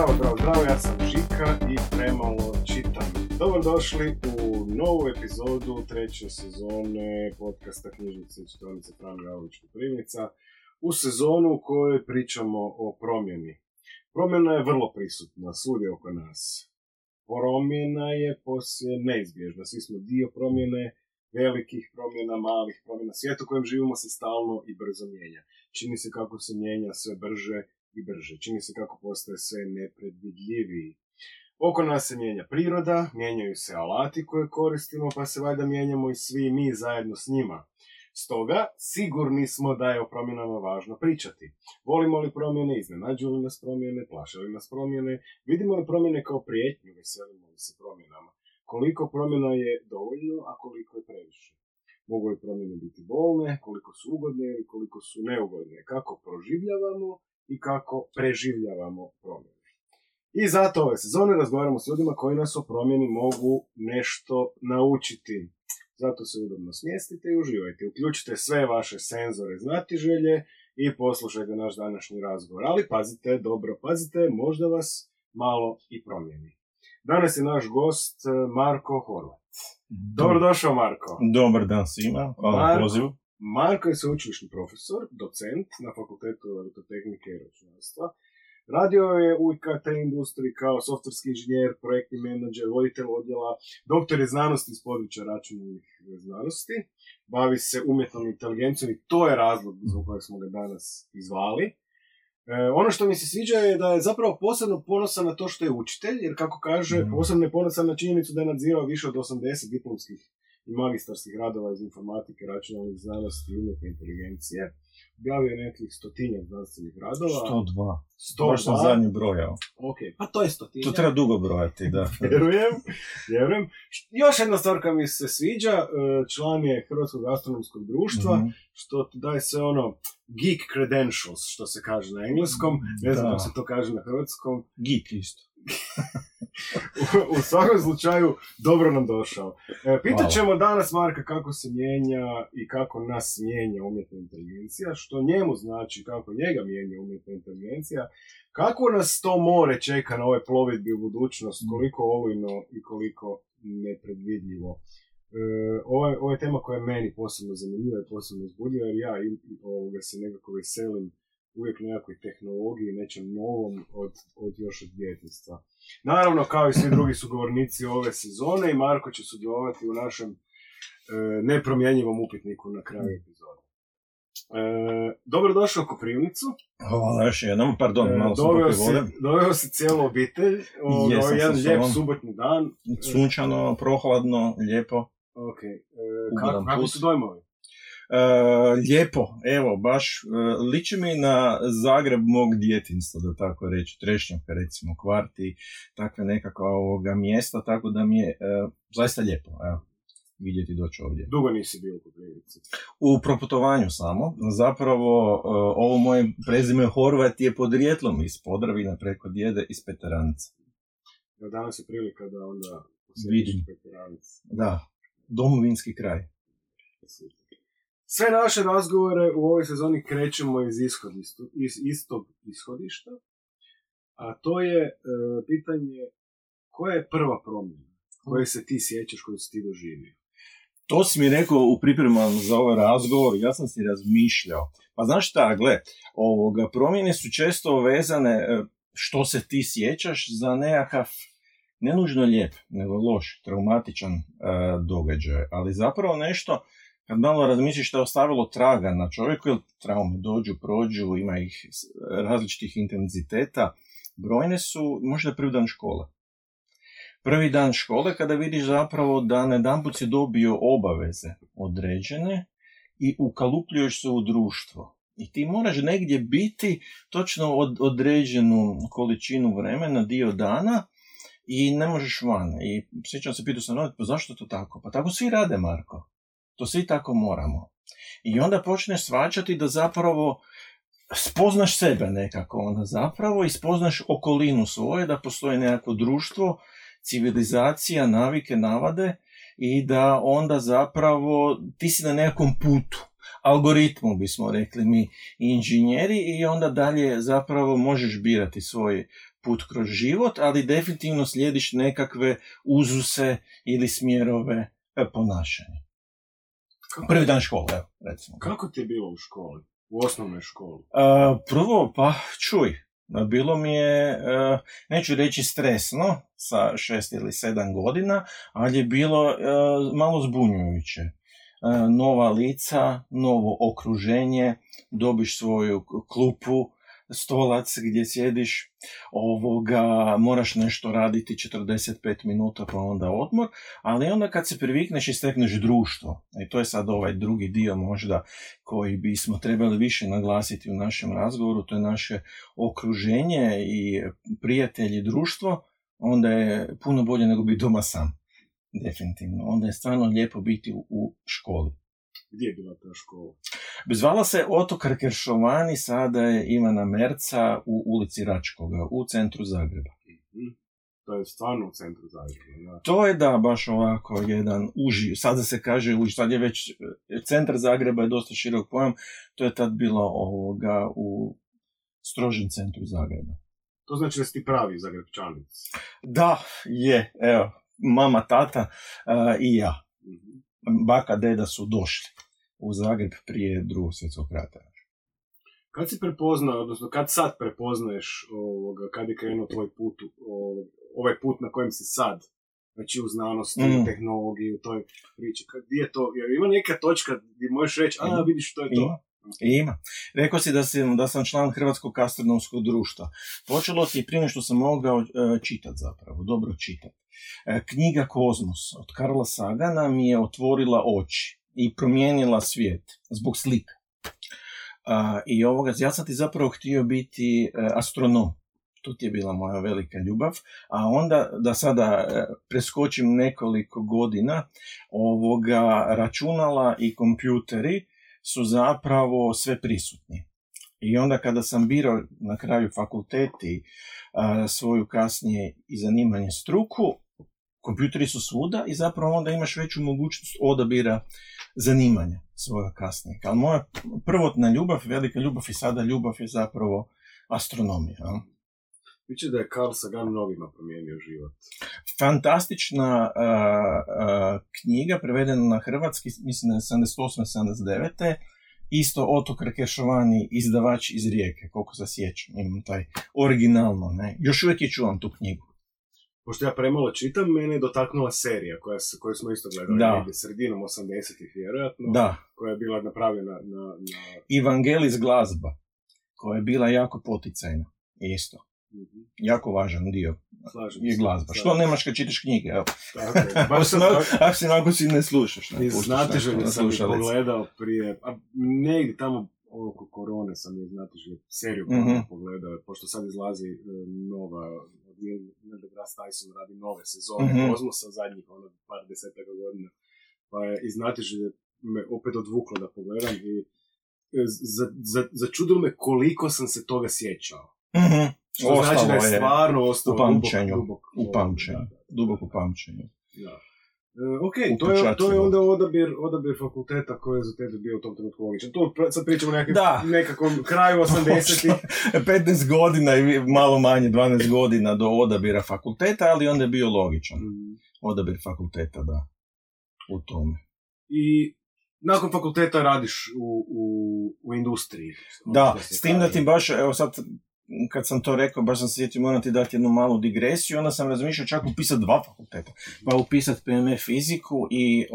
Zdravo, ja sam Žika i premalo čitam. Dobrodošli u novu epizodu treće sezone podcasta Knjižnice i čitaonice Frane Gavrović Koprivnica, u sezonu u kojoj pričamo o promjeni. Promjena je vrlo prisutna svugdje oko nas. Promjena je poslije neizbježna. Svi smo dio promjene, velikih promjena, malih promjena. Svijet u kojem živimo se stalno i brzo mijenja. Čini se kako se mijenja sve brže i brže. Čini se kako postaje sve nepredvidljiviji. Oko nas se mijenja priroda, mijenjaju se alati koje koristimo, pa se valjda mijenjamo i svi mi zajedno s njima. Stoga, sigurni smo da je o promjenama važno pričati. Volimo li promjene, iznenađuju li nas promjene, plaše li nas promjene, vidimo li promjene kao prijetnju, veselimo li se promjenama. Koliko promjena je dovoljno, a koliko je previše. Mogu li promjene biti bolne, koliko su ugodne ili koliko su neugodne, kako proživljavamo i kako preživljavamo promjene. I zato ove sezone razgovaramo s ljudima koji nas o promjeni mogu nešto naučiti. Zato se udobno smjestite i uživajte. Uključite sve vaše senzore znatiželje i poslušajte naš današnji razgovor. Ali pazite, dobro pazite, možda vas malo i promijeni. Danas je naš gost Marko Horvat. Dobrodošao, Marko. Dobar dan svima, hvala na pozivu. Marko je sveučilišni profesor, docent na Fakultetu elektrotehnike i računarstva. Radio je u IKT industriji kao softverski inženjer, projektni menadžer, voditelj odjela, doktor je znanosti iz područja računalnih znanosti. Bavi se umjetnom inteligencijom i to je razlog zbog kojeg smo ga danas izvali. Ono što mi se sviđa je da je zapravo posebno ponosan na to što je učitelj, jer kako kaže, posebno je ponosan na činjenicu da je nadzirao više od 80 diplomskih i magistarskih radova iz informatike, računalnih znanosti i umjetne inteligencije. Objavio je nekih 100 znanstvenih radova. 102. Baš sam zadnji brojao. Ok, pa to je 100. To treba dugo brojati, da. Vjerujem. Još jedna stvar koja mi se sviđa, član je Hrvatskog astronomskog društva, što daje sve ono geek credentials, što se kaže na engleskom, ne znam kako se to kaže na hrvatskom. Geek isto. U svakom slučaju, dobro nam došao. Pitat ćemo danas Marka kako se mijenja i kako nas mijenja umjetna inteligencija, što njemu znači kako njega mijenja umjetna inteligencija, kako nas to more čeka na ove plovidbi u budućnost, koliko olujno i koliko nepredvidljivo. Ovo je tema koja je meni posebno zanimljiva i posebno uzbudljiva, jer ja se nekako veselim uvijek nekakvoj tehnologiji, nečem novom od još od djetinjstva. Naravno, kao i svi drugi sugovornici ove sezone, i Marko će sudjelovati u našem nepromjenjivom upitniku na kraju epizode. Dobrodošao u Koprivnicu. Hvala još jednom, pardon, malo sam popio vode. Doveo si cijelu obitelj, jedan lijep subotnji dan. Sunčano, prohladno, lijepo. Ok, kako su dojmovi? Lijepo, evo, baš liči mi na Zagreb mog djetinjstva, da tako reći, Trešnjavka, recimo, Kvarti, takve nekakva mjesta, tako da mi je zaista lijepo, evo, vidjeti doći ovdje. Dugo nisi bio u Koprivnici? U proputovanju samo, zapravo ovo moje prezime Horvat je podrijetlom iz Podravina preko djede iz Peteranica. Danas je prilika da onda posjetiš Peteranicu. Da, domovinski kraj. Sve naše razgovore u ovoj sezoni krećemo iz istog ishodišta, a to je pitanje koja je prva promjena koje se ti sjećaš, koju si ti doživio? To si mi rekao u pripremama za ovaj razgovor, ja sam si razmišljao. Pa znaš šta, promjene su često vezane, što se ti sjećaš, za nekakav ne nužno lijep, nego loš, traumatičan događaj, ali zapravo nešto. Kad malo razmisliš što je ostavilo traga na čovjeku, jer traume dođu, prođu, ima ih različitih intenziteta, brojne su možda prvi dan škole. Prvi dan škole kada vidiš zapravo da najedanput si dobio obaveze određene i ukalupljuješ se u društvo. I ti moraš negdje biti točno određenu količinu vremena, dio dana, i ne možeš van. I sjećam se, pitao sam, pa zašto to tako? Pa tako svi rade, Marko. To svi tako moramo. I onda počneš shvaćati da zapravo spoznaš sebe nekako, onda zapravo i spoznaš okolinu svoje, da postoji nekako društvo, civilizacija, navike, navade, i da onda zapravo ti si na nekom putu, algoritmu bismo rekli mi inženjeri, i onda dalje zapravo možeš birati svoj put kroz život, ali definitivno slijediš nekakve uzuse ili smjerove ponašanja. Prvi dan škole, evo, recimo. Kako ti je bilo u školi? U osnovnoj školi? Prvo, pa čuj, bilo mi je, neću reći stresno, sa 6 ili 7 godina, ali je bilo malo zbunjujuće. Nova lica, novo okruženje, dobiš svoju klupu, stolac gdje sjediš, moraš nešto raditi 45 minuta pa onda odmor, ali onda kad se privikneš i stekneš društvo, i to je sad ovaj drugi dio možda koji bismo trebali više naglasiti u našem razgovoru, to je naše okruženje i prijatelji, društvo, onda je puno bolje nego biti doma sam, definitivno. Onda je stvarno lijepo biti u školi. Gdje je bila ta škola? Zvala se Ottokar Keršovani, sada je Ivana Merca u ulici Račkoga, u centru Zagreba. To je stvarno u centru Zagreba, da? To je da, baš ovako jedan uži, sada se kaže uži, sad je već, centar Zagreba je dosta širok pojam, to je tad bilo u strožem centru Zagreba. To znači da si ti pravi Zagrebčanic? Da, je, evo, mama, tata i ja. Baka, deda su došli u Zagreb prije Drugog svjetskog rata. Kad si prepoznao, odnosno kad sad prepoznaješ kad je krenuo tvoj put, ovaj put na kojem si sad, znači u znanosti, u tehnologiji, u toj priči, gdje je to, jer ima neka točka gdje možeš reći, vidiš što je to? Ima. Rekao si da sam član Hrvatskog astronomskog društva. Počelo ti prije što sam mogao čitati zapravo, dobro čitati. Knjiga Kozmos od Karla Sagana mi je otvorila oči i promijenila svijet zbog slika. Ja sam ti zapravo htio biti astronom. To ti je bila moja velika ljubav. A onda, da sada preskočim nekoliko godina, računala i kompjuteri su zapravo sve prisutni. I onda kada sam birao na kraju fakulteti svoju kasnije i zanimanje struku, kompjuteri su svuda i zapravo onda imaš veću mogućnost odabira zanimanja svoga kasnije. Ali moja prvotna ljubav, velika ljubav i sada ljubav je zapravo astronomija. Viće da je Carl Sagan mnogima promijenio život. Fantastična knjiga, prevedena na hrvatski, mislim da je 78-79. Isto Ottokar Keršovani, izdavač iz Rijeke, koliko se sjećam, imam taj originalno, ne? Još uvijek je čuvam tu knjigu. Pošto ja premalo čitam, mene je dotaknula serija koju smo isto gledali negdje sredinom 80-ih vjerojatno, koja je bila napravljena na... Evangelis glazba, koja je bila jako poticajna, isto. Jako važan dio je glazba. Što nemaš kad čitaš knjige, evo. Ako si ne slušaš. Znatiželje sam ih pogledao prije, negdje tamo oko korone sam je znatiželje seriju pogledao, pošto sad izlazi nova, Neil deGrasse Tyson radi nove sezone Kozmosa, zadnjih par desetaka godina, pa je i znatiželje me opet odvuklo da pogledam i začudilo me koliko sam se toga sjećao. Što znači da je stvarno ostalo duboko pamćenju. Ok, to je onda odabir fakulteta koji je za tebe bio u tom trenutku logičan. To sad pričamo nekakvom kraju 80-ih. 15 godina i malo manje, 12 godina do odabira fakulteta, ali onda je bio logičan. Odabir fakulteta, da, u tome. I nakon fakulteta radiš u industriji. Da, s tim da ti baš, evo sad, kad sam to rekao, baš sam se sjetio, moram ti dati jednu malu digresiju, onda sam razmišljao čak upisati 2 fakulteta. Pa upisati PME fiziku i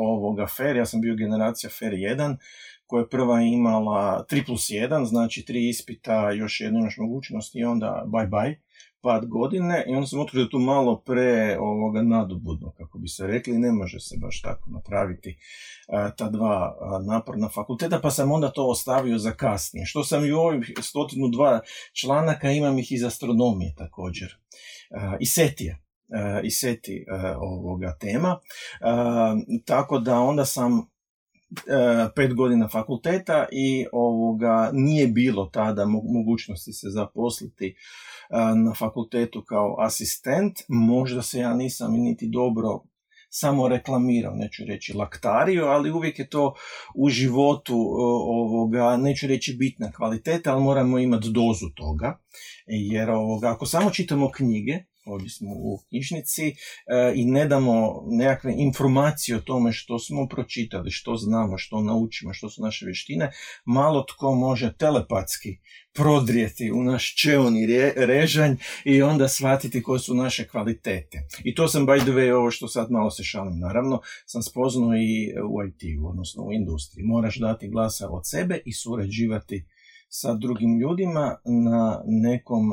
FER, ja sam bio generacija FER 1, koja je prva imala 3+1, znači 3 ispita, još jednu imaš mogućnost i onda bye, pad godine, i onda sam otkrio da tu malo nadobudno, kako bi se rekli, ne može se baš tako napraviti ta 2 naporna fakulteta, pa sam onda to ostavio za kasnije. Što sam i u ovih 102 članaka, imam ih iz astronomije također, i SETI ovoga tema, tako da onda sam 5 godina fakulteta i nije bilo tada mogućnosti se zaposliti na fakultetu kao asistent. Možda se ja nisam niti dobro samo reklamirao, neću reći laktario, ali uvijek je to u životu neću reći bitna kvaliteta, ali moramo imati dozu toga, jer ako samo čitamo knjige, ovdje smo u knjižnici, i ne damo nekakve informacije o tome što smo pročitali, što znamo, što naučimo, što su naše vještine, malo tko može telepatski prodrijeti u naš čeoni režanj i onda shvatiti koje su naše kvalitete. I to sam, by the way, ovo što sad malo se šalim, naravno, sam spoznao i u IT-u, odnosno u industriji. Moraš dati glasa od sebe i surađivati sa drugim ljudima na nekom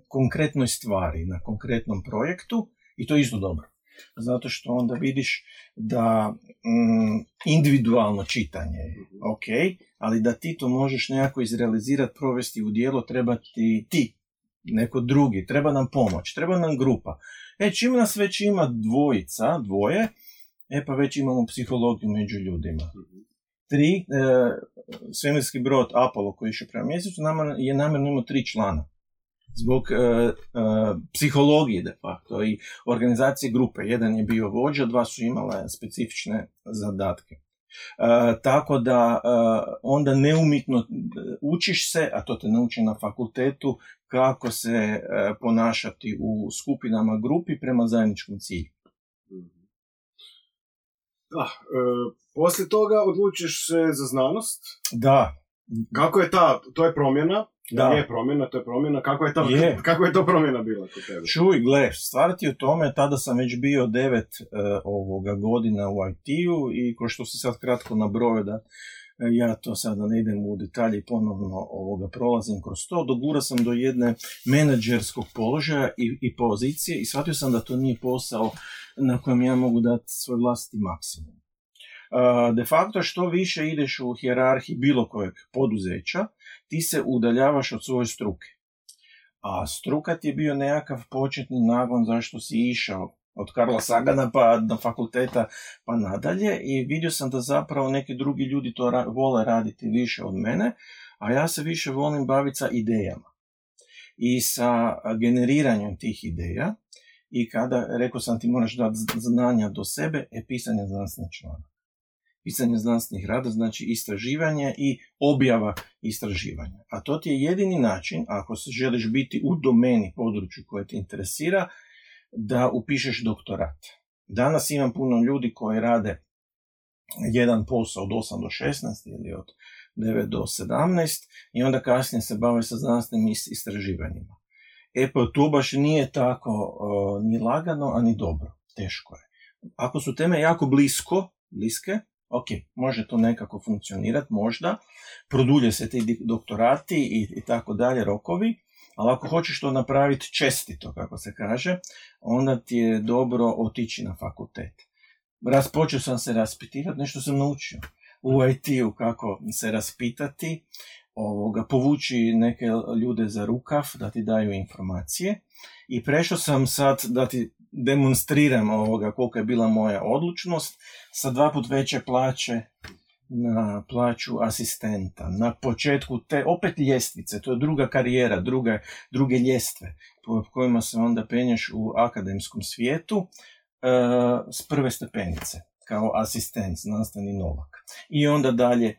konkretnoj stvari, na konkretnom projektu, i to je isto dobro. Zato što onda vidiš da individualno čitanje je ok, ali da ti to možeš nekako izrealizirati, provesti u djelo, treba ti, neko drugi, treba nam pomoć, treba nam grupa. Čim nas već ima dvoje, pa već imamo psihologiju među ljudima. 3, svemirski brod Apollo koji je išao prema mjesecu je namjerno imao 3 člana. Zbog psihologije de facto i organizacije grupe. Jedan je bio vođa, 2 su imale specifične zadatke. Tako da onda neumitno učiš se, a to te nauči na fakultetu, kako se ponašati u skupinama grupi prema zajedničkom cilju. Da, poslije toga odlučiš se za znanost. Da. Kako je to je promjena? Da. Je promjena. Kako je to promjena bila kod tebe? Čuj, gle, stvar ti u tome, tada sam već bio 9 godina u IT-u i ko što si sad kratko nabrojao da ja to sada ne idem u detalje i ponovno prolazim kroz to, dogura sam do jedne menadžerskog položaja i pozicije i shvatio sam da to nije posao na kojem ja mogu dati svoj vlastiti maksimum. De facto, što više ideš u hijerarhiji bilo kojeg poduzeća, ti se udaljavaš od svoje struke. A struka ti je bio nekakav početni nagon zašto si išao od Karla Sagana pa do fakulteta pa nadalje i vidio sam da zapravo neki drugi ljudi to vole raditi više od mene, a ja se više volim baviti sa idejama i sa generiranjem tih ideja i kada, rekao sam ti moraš dati znanja do sebe, pisanje znanstvenih članaka. Pisanje znanstvenih rada znači istraživanje i objava istraživanja. A to ti je jedini način, ako se želiš biti u domeni području koje te interesira, da upišeš doktorat. Danas imam puno ljudi koji rade jedan posao od 8 do 16 ili od 9 do 17 i onda kasnije se bave sa znanstvenim istraživanjima. Pa to baš nije tako ni lagano, a ni dobro. Teško je. Ako su teme jako bliske, ok, može to nekako funkcionirati, možda, produlje se ti doktorati i tako dalje, rokovi, ali ako hoćeš to napraviti čestito, kako se kaže, onda ti je dobro otići na fakultet. Počeo sam se raspitivati, nešto sam naučio u IT-u kako se raspitati, povući neke ljude za rukav da ti daju informacije i prešao sam sad da ti demonstriram koliko je bila moja odlučnost sa 2 puta veće plaće na plaću asistenta. Na početku te opet ljestvice, to je druga karijera, druge ljestve po kojima se onda penješ u akademskom svijetu s prve stepenice kao asistent, znanstveni novak. I onda dalje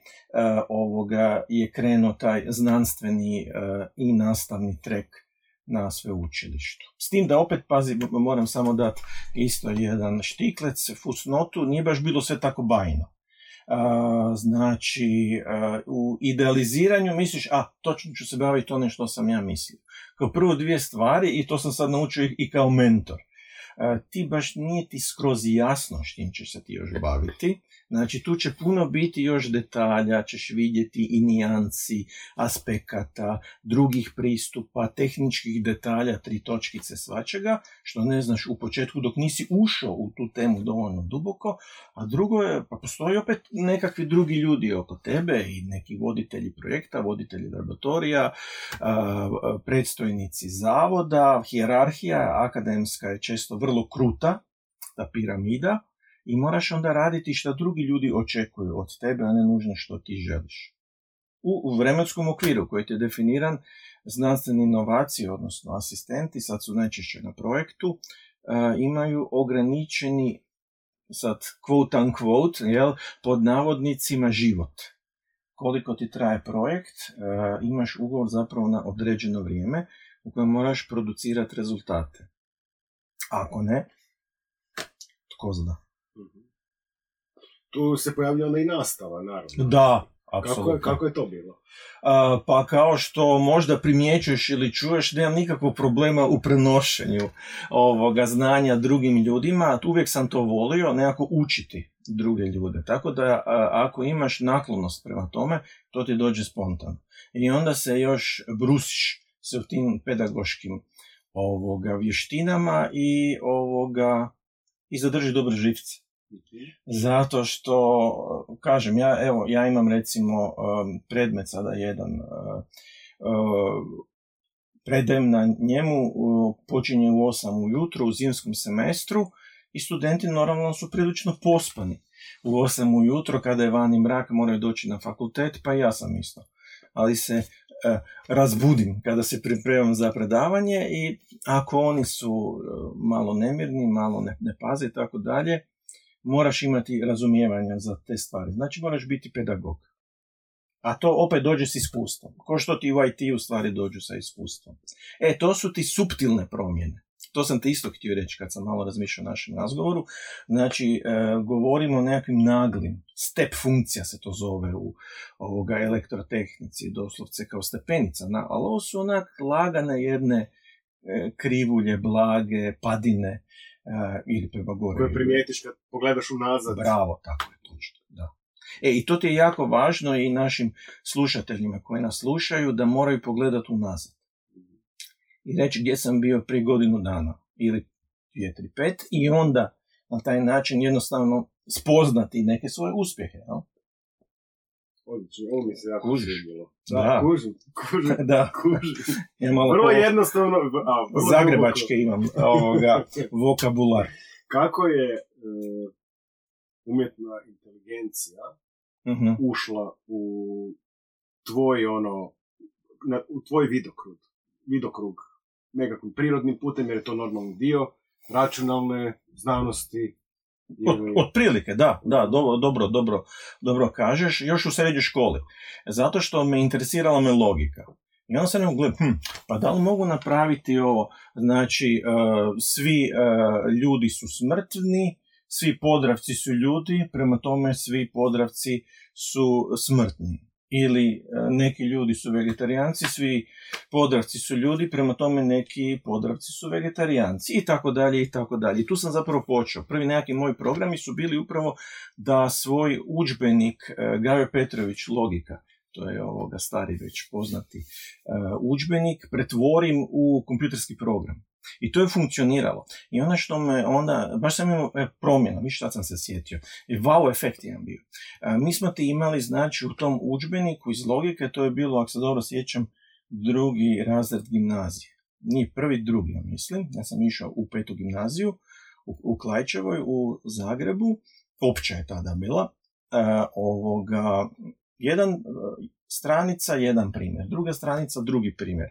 je krenuo taj znanstveni i nastavni trek na sveučilištu. S tim da opet, pazi, moram samo dati isto jedan štiklec, fusnotu, nije baš bilo sve tako bajno. Znači, u idealiziranju misliš, točno ću se baviti onim što sam ja mislio. Kao prvo 2 stvari, i to sam sad naučio i kao mentor. Ti baš nije ti skroz jasno s čim ćeš se ti još baviti. Znači, tu će puno biti još detalja, ćeš vidjeti i nijansi, aspekata, drugih pristupa, tehničkih detalja, 3 točkice svačega, što ne znaš u početku dok nisi ušao u tu temu dovoljno duboko, a drugo je, pa postoji opet nekakvi drugi ljudi oko tebe i neki voditelji projekta, voditelji laboratorija, predstojnici zavoda, hijerarhija akademska je često vrlo kruta, ta piramida, i moraš onda raditi što drugi ljudi očekuju od tebe, a ne nužno što ti želiš. U vremenskom okviru koji je definiran, znanstvene inovacije, odnosno asistenti, sad su najčešće na projektu, imaju ograničeni sad quote unquote, jel, pod navodnicima život. Koliko ti traje projekt, imaš ugovor zapravo na određeno vrijeme u kojem moraš producirati rezultate. Ako ne, tko zna. Tu se pojavlja onda i nastava, naravno. Da, apsolutno. Kako je to bilo? Pa kao što možda primjećuješ ili čuješ, nemam nikakvog problema u prenošenju ovoga znanja drugim ljudima. Uvijek sam to volio, nekako učiti druge ljude. Tako da ako imaš naklonost prema tome, to ti dođe spontano. I onda se još brusiš se u tim pedagoškim vještinama i zadrži dobre živce. Zato što, kažem, ja imam recimo predmet sada jedan, predajem na njemu, počinje u 8 ujutro u zimskom semestru i studenti normalno su prilično pospani. U 8 ujutro kada je vani mrak moraju doći na fakultet, pa i ja sam isto. Ali se razbudim kada se pripremam za predavanje i ako oni su malo nemirni, malo ne paze i tako dalje, moraš imati razumijevanja za te stvari. Znači moraš biti pedagog. A to opet dođe s iskustvom. Ko što ti u IT-u stvari dođu sa iskustvom. To su ti suptilne promjene. To sam te isto htio reći kad sam malo razmišljao o našem razgovoru. Znači, govorimo o nekakvim naglim. Step funkcija se to zove u elektrotehnici, doslovce kao stepenica. Ali ovo su onak lagane jedne krivulje, blage, padine, ili prema gore. Koje primijetiš kad pogledaš unazad. Bravo, tako je, točno, da. I to ti je jako važno i našim slušateljima koji nas slušaju da moraju pogledati unazad. I reći gdje sam bio prije godinu dana, ili 2, 3, 5, i onda na taj način jednostavno spoznati neke svoje uspjehe. No? Odlično, ovo mi se jako svidjelo. Da, kužim. Da. Vrlo jednostavno. Zagrebačke imam vokabular. Kako je umjetna inteligencija ušla u tvoj u tvoj vidokrug nekakvim prirodnim putem, jer je to normalni dio računalne znanosti? Otprilike, da, dobro kažeš, još u srednjoj školi. Zato što me interesirala me logika. I onda sam ne mogu pa da li mogu napraviti ovo? Znači, svi ljudi su smrtni, svi Podravci su ljudi, prema tome svi Podravci su smrtni. Ili neki ljudi su vegetarijanci, svi Podravci su ljudi, prema tome neki Podravci su vegetarijanci i tako dalje i tako dalje. I tu sam zapravo počeo. Prvi nekakvi moji programi su bili upravo da svoj udžbenik Gajo Petrović Logika, to je stari već poznati udžbenik, pretvorim u kompjuterski program. I to je funkcioniralo. I ono što me onda, baš sam imao promjena, viš šta sam se sjetio, wow efekt imam bio. Mi smo ti imali, znači, u tom udžbeniku iz logike, to je bilo, ako se dobro sjećam, 2. razred gimnazije. Nije 1., 2. ja mislim. Ja sam išao u 5. gimnaziju, u Klaićevoj, u Zagrebu. Opća je tada bila. Jedan stranica, jedan primjer. Druga stranica, drugi primjer.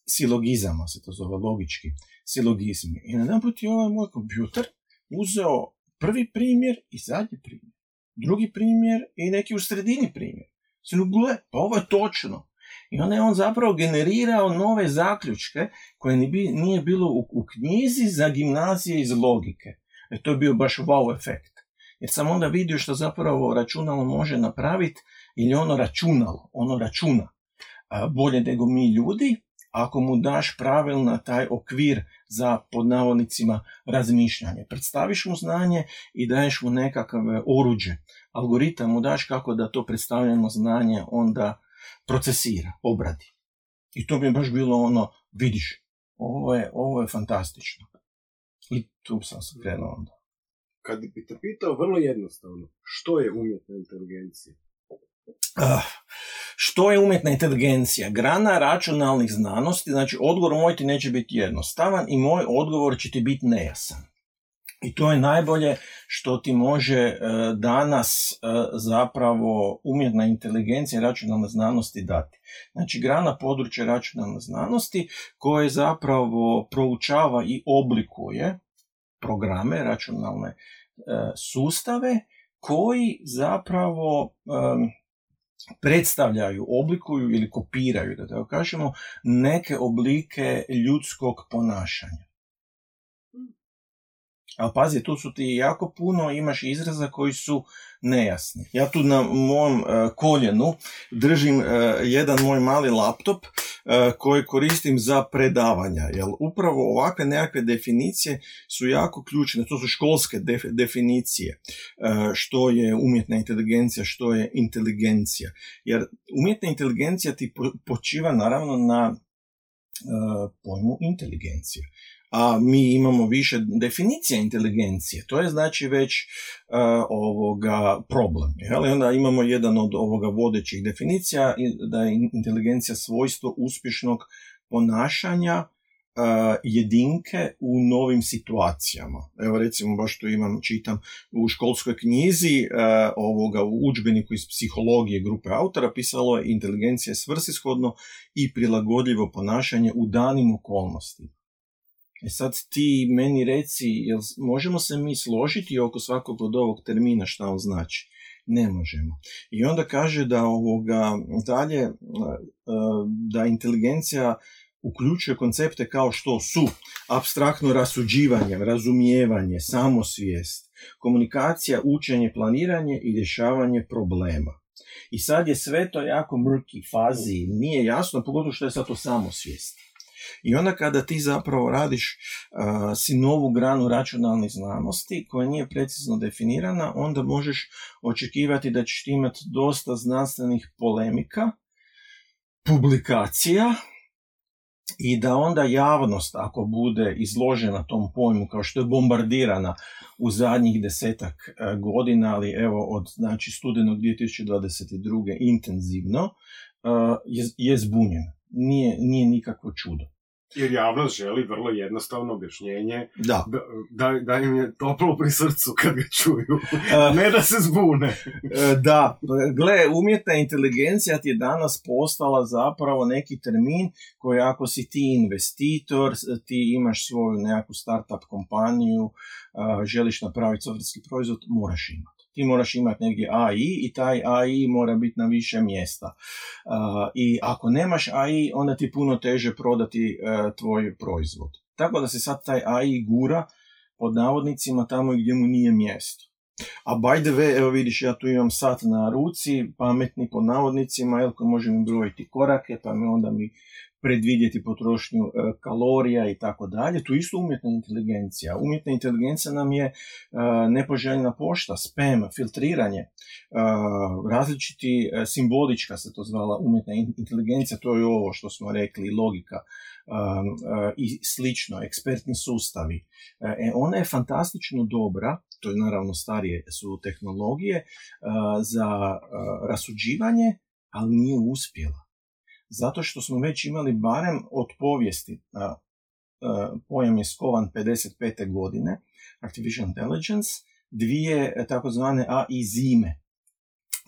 Silogizama se to zove, logički silogizmi. I najedanput je ovaj moj kompjuter uzeo prvi primjer i zadnji primjer. Drugi primjer i neki u sredini primjer. Gle, pa ovo je točno. I onda je on zapravo generirao nove zaključke koje nije bilo u knjizi za gimnazije iz logike. To je bio baš wow efekt. Jer sam onda vidio što zapravo računalo može napraviti, ili ono računa bolje nego mi ljudi, ako mu daš pravilno taj okvir za, pod navodnicima, razmišljanje. Predstaviš mu znanje i daješ mu nekakav oruđe. Algoritam mu daš kako da to predstavljeno znanje onda procesira, obradi. I to mi je baš bilo vidiš, ovo je fantastično. I tu sam se krenuo onda. Kad bi te pitao vrlo jednostavno, što je umjetna inteligencija? Što je umjetna inteligencija? Grana računalnih znanosti, znači odgovor moj ti neće biti jednostavan i moj odgovor će ti biti nejasan. I to je najbolje što ti može danas zapravo umjetna inteligencija i računalne znanosti dati. Znači grana područja računalne znanosti koje zapravo proučava i oblikuje programe, računalne sustave koji zapravo predstavljaju, oblikuju ili kopiraju, da tako kažemo, neke oblike ljudskog ponašanja. Ali pazi, tu su ti jako puno, imaš izraza koji su nejasni. Ja tu na mom koljenu držim jedan moj mali laptop koji koristim za predavanja, jer upravo ovakve nekakve definicije su jako ključne. To su školske definicije, što je umjetna inteligencija, što je inteligencija. Jer umjetna inteligencija ti počiva naravno na pojmu inteligencije. A mi imamo više definicija inteligencije. To je znači već problem. I onda imamo jedan od vodećih definicija, da je inteligencija svojstvo uspješnog ponašanja jedinke u novim situacijama. Evo recimo, baš tu čitam u školskoj knjizi u udžbeniku iz psihologije grupe autora pisalo je: inteligencija je svrsishodno i prilagodljivo ponašanje u danim okolnostima. Sad ti meni reci, jel možemo se mi složiti oko svakog od ovog termina šta on znači? Ne možemo. I onda kaže da dalje, da inteligencija uključuje koncepte kao što su apstraktno rasuđivanje, razumijevanje, samosvijest, komunikacija, učenje, planiranje i rješavanje problema. I sad je sve to jako mrki fazi, nije jasno, pogotovo što je sad to samosvijest. I onda kada ti zapravo radiš si novu granu računalnih znanosti koja nije precizno definirana, onda možeš očekivati da ćeš imati dosta znanstvenih polemika, publikacija, i da onda javnost, ako bude izložena tom pojmu kao što je bombardirana u zadnjih 10-ak godina, ali evo od studenog 2022. intenzivno, je zbunjena. Nije nikakvo čudo. Jer javnost želi vrlo jednostavno objašnjenje, da im je toplo pri srcu kad ga čuju, ne da se zbune. Da, gle, umjetna inteligencija ti je danas postala zapravo neki termin koji, ako si ti investitor, ti imaš svoju nekakvu startup kompaniju, želiš napraviti softverski proizvod, moraš imati. Ti moraš imati negdje AI i taj AI mora biti na više mjesta. I ako nemaš AI, onda ti puno teže prodati tvoj proizvod. Tako da se sad taj AI gura pod navodnicima tamo gdje mu nije mjesto. A by the way, evo vidiš, ja tu imam sat na ruci, pametni pod navodnicima, koji može mi brojiti korake, pa mi onda predvidjeti potrošnju kalorija i tako dalje. Tu isto umjetna inteligencija. Umjetna inteligencija nam je nepoželjna pošta, spam, filtriranje, različiti simbolička se to zvala umjetna inteligencija, to je ovo što smo rekli, logika i slično, ekspertni sustavi. Ona je fantastično dobra, to je naravno starije su tehnologije, za rasuđivanje, ali nije uspjela. Zato što smo već imali barem od povijesti, pojam je skovan 55. godine, Artificial Intelligence, dvije takozvane AI zime.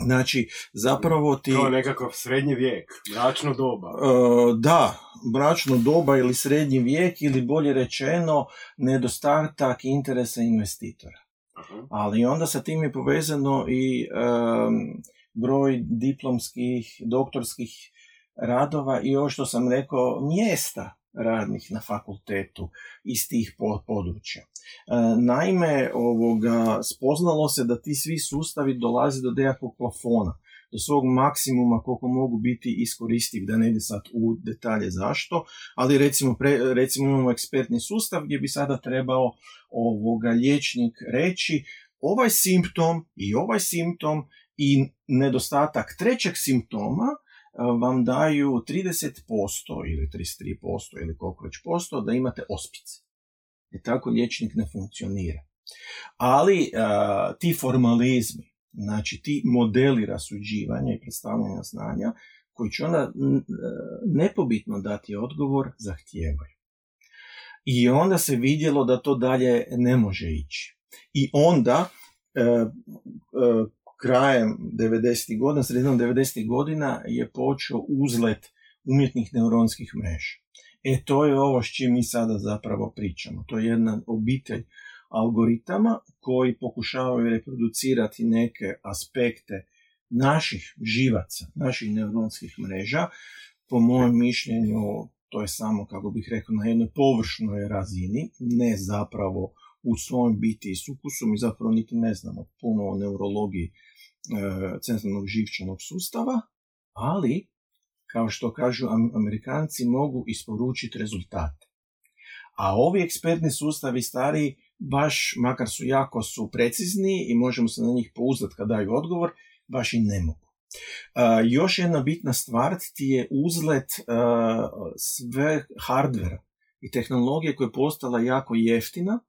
Znači, zapravo ti... To je nekakav srednji vijek, mračno doba. Da, mračno doba ili srednji vijek, ili bolje rečeno, nedostatak interesa investitora. Uh-huh. Ali onda sa tim je povezano i broj diplomskih, doktorskih radova i ovo što sam rekao, mjesta radnih na fakultetu iz tih područja. Naime, spoznalo se da ti svi sustavi dolaze do nekakvog plafona, do svog maksimuma koliko mogu biti iskoristivi, da ne ide sad u detalje zašto, ali recimo imamo ekspertni sustav gdje bi sada trebao liječnik reći ovaj simptom i nedostatak trećeg simptoma vam daju 30% ili 33% ili koliko već posto da imate ospice. I tako liječnik ne funkcionira. Ali ti formalizmi, znači ti modeli rasuđivanja i predstavljanja znanja, koji će onda nepobitno dati odgovor, zahtijevaju. I onda se vidjelo da to dalje ne može ići. I onda krajem 90. godina, sredinom 90. godina je počeo uzlet umjetnih neuronskih mreža. To je ovo s čim mi sada zapravo pričamo. To je jedna obitelj algoritama koji pokušavaju reproducirati neke aspekte naših živaca, naših neuronskih mreža. Po mojem mišljenju, to je samo, kako bih rekao, na jednoj površnoj razini, ne zapravo u svojom biti i sukusu. Mi zapravo niti ne znamo puno o neurologiji centralnog živčanog sustava, ali, kao što kažu Amerikanci, mogu isporučiti rezultate. A ovi ekspertni sustavi stariji, baš, makar su jako precizni i možemo se na njih pouzdati kad daju odgovor, baš i ne mogu. Još jedna bitna stvar ti je uzlet sve hardvera i tehnologije koja je postala jako jeftina,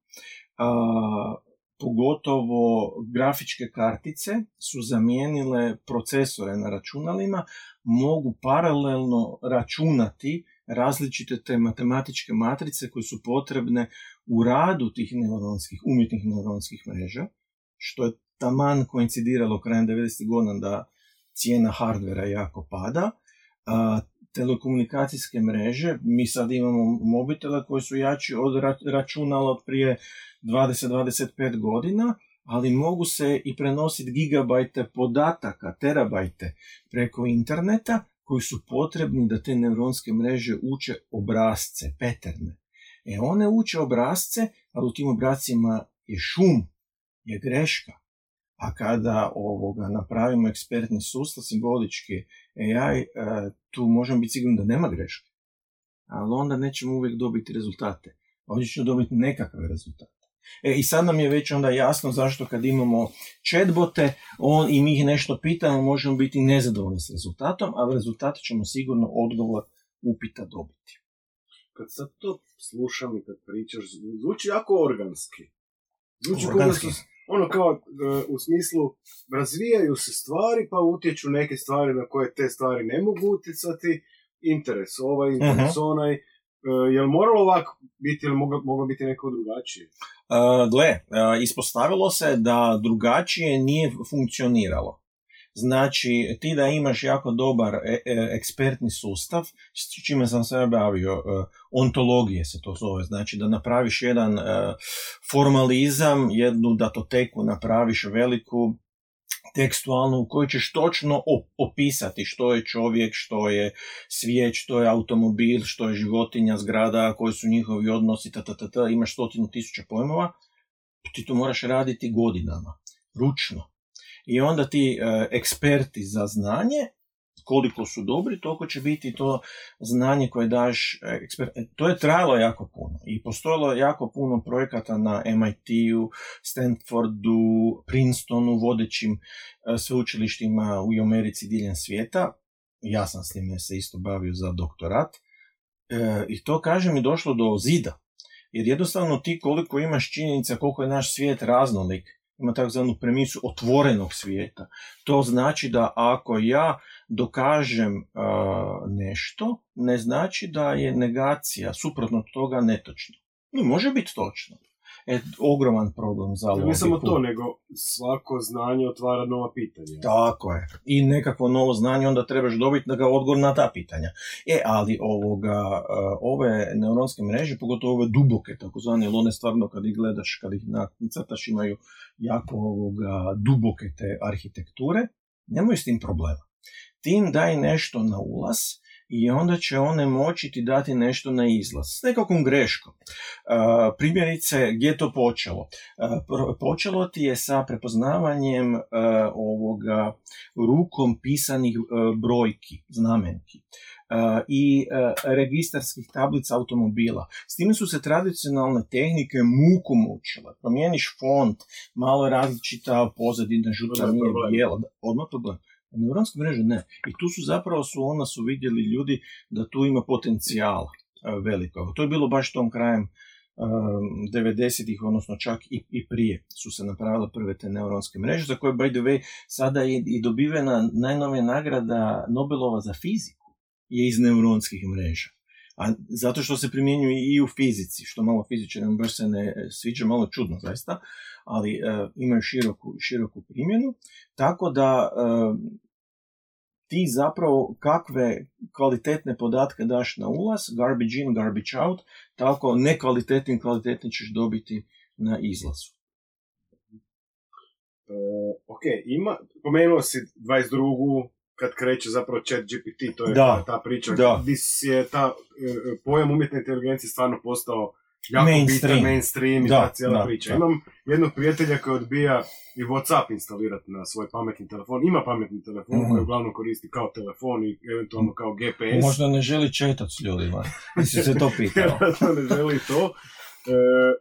pogotovo grafičke kartice su zamijenile procesore na računalima, mogu paralelno računati različite te matematičke matrice koje su potrebne u radu tih umjetnih neuronskih mreža, što je taman koincidiralo krajem 90. godina da cijena hardvera jako pada. Telekomunikacijske mreže, mi sad imamo mobitele koji su jači od računala od prije 20-25 godina, ali mogu se i prenositi gigabajte podataka, terabajte preko interneta, koji su potrebni da te neuronske mreže uče obrasce, paterne. One uče obrasce, ali u tim obrascima je šum, je greška. A kada napravimo ekspertni sustav, simbolički AI, tu možemo biti sigurni da nema greške. Ali onda nećemo uvijek dobiti rezultate. Ovdje ćemo dobiti nekakve rezultate. I sad nam je već onda jasno zašto kad imamo chatbote i mi ih nešto pitamo, možemo biti nezadovoljni s rezultatom, ali rezultate ćemo sigurno odgovor upita dobiti. Kad sad to slušam i kad pričaš, zvuči jako organski. Zvuči kao u smislu razvijaju se stvari pa utječu neke stvari na koje te stvari ne mogu utjecati, interes interes onaj. Je li moralo ovako biti ili moglo biti neko drugačije? Ispostavilo se da drugačije nije funkcioniralo. Znači, ti da imaš jako dobar ekspertni sustav, s čime sam se bavio, ontologije se to zove, znači da napraviš jedan formalizam, jednu datoteku napraviš veliku, tekstualnu, u kojoj ćeš točno opisati što je čovjek, što je svijet, što je automobil, što je životinja, zgrada, koji su njihovi odnosi, imaš 100,000 pojmova, ti to moraš raditi godinama, ručno. I onda ti eksperti za znanje, koliko su dobri, toliko će biti to znanje koje daš to je trajalo jako puno i postojalo jako puno projekata na MIT-u, Stanfordu, Princetonu, vodećim sveučilištima u Americi diljem svijeta. Ja sam s time se isto bavio za doktorat. I to, kažem, je došlo do zida. Jer jednostavno ti koliko imaš činjenica, koliko je naš svijet raznolik, ima takzvanu premisu otvorenog svijeta. To znači da ako ja dokažem nešto, ne znači da je negacija suprotno toga netočna. Može biti točno. Ogroman problem za logiku. Ne samo to, nego svako znanje otvara nova pitanja. Tako je. I nekakvo novo znanje onda trebaš dobiti da ga odgovor na ta pitanja. Ali ove neuronske mreže, pogotovo ove duboke, takozvane, one stvarno kad ih gledaš, kad ih nacrtaš, imaju jako duboke te arhitekture, nemoj s tim problema. Ti im daj nešto na ulaz i onda će one moći ti dati nešto na izlaz s nekakvom greškom. Primjerice, gdje je to počelo? Počelo ti je sa prepoznavanjem rukom pisanih brojki, znamenki i registarskih tablica automobila. S time su se tradicionalne tehnike muku mučile. Promijeniš font, malo je različita pozadina, žuta nije bijela. Odmah problem. Neuronske mreže ne. I tu su vidjeli ljudi da tu ima potencijala veliko. To je bilo baš tom krajem 90-ih, odnosno čak i prije su se napravile prve te neuronske mreže, za koje, by the way, sada je i dobivena najnovija nagrada Nobelova za fiziku je iz neuronskih mreža. A zato što se primjenjuje i u fizici, što malo fizičarima baš se ne sviđa, malo čudno zaista, ali imaju široku primjenu, tako da ti zapravo kakve kvalitetne podatke daš na ulaz, garbage in, garbage out, tako nekvalitetni ćeš dobiti na izlazu. Ok, pomenuo si 22. kad kreće zapravo ChatGPT, to je ta priča, gdje je ta pojam umjetne inteligencije stvarno postao jako bitan, mainstream i ta cijela priča. Imam jednog prijatelja koji odbija i WhatsApp instalirati na svoj pametni telefon. Ima pametni telefon koji uglavnom koristi kao telefon i eventualno kao GPS. Možda ne želi četat s ljudima. Mislim se to pitao. Ne želi to.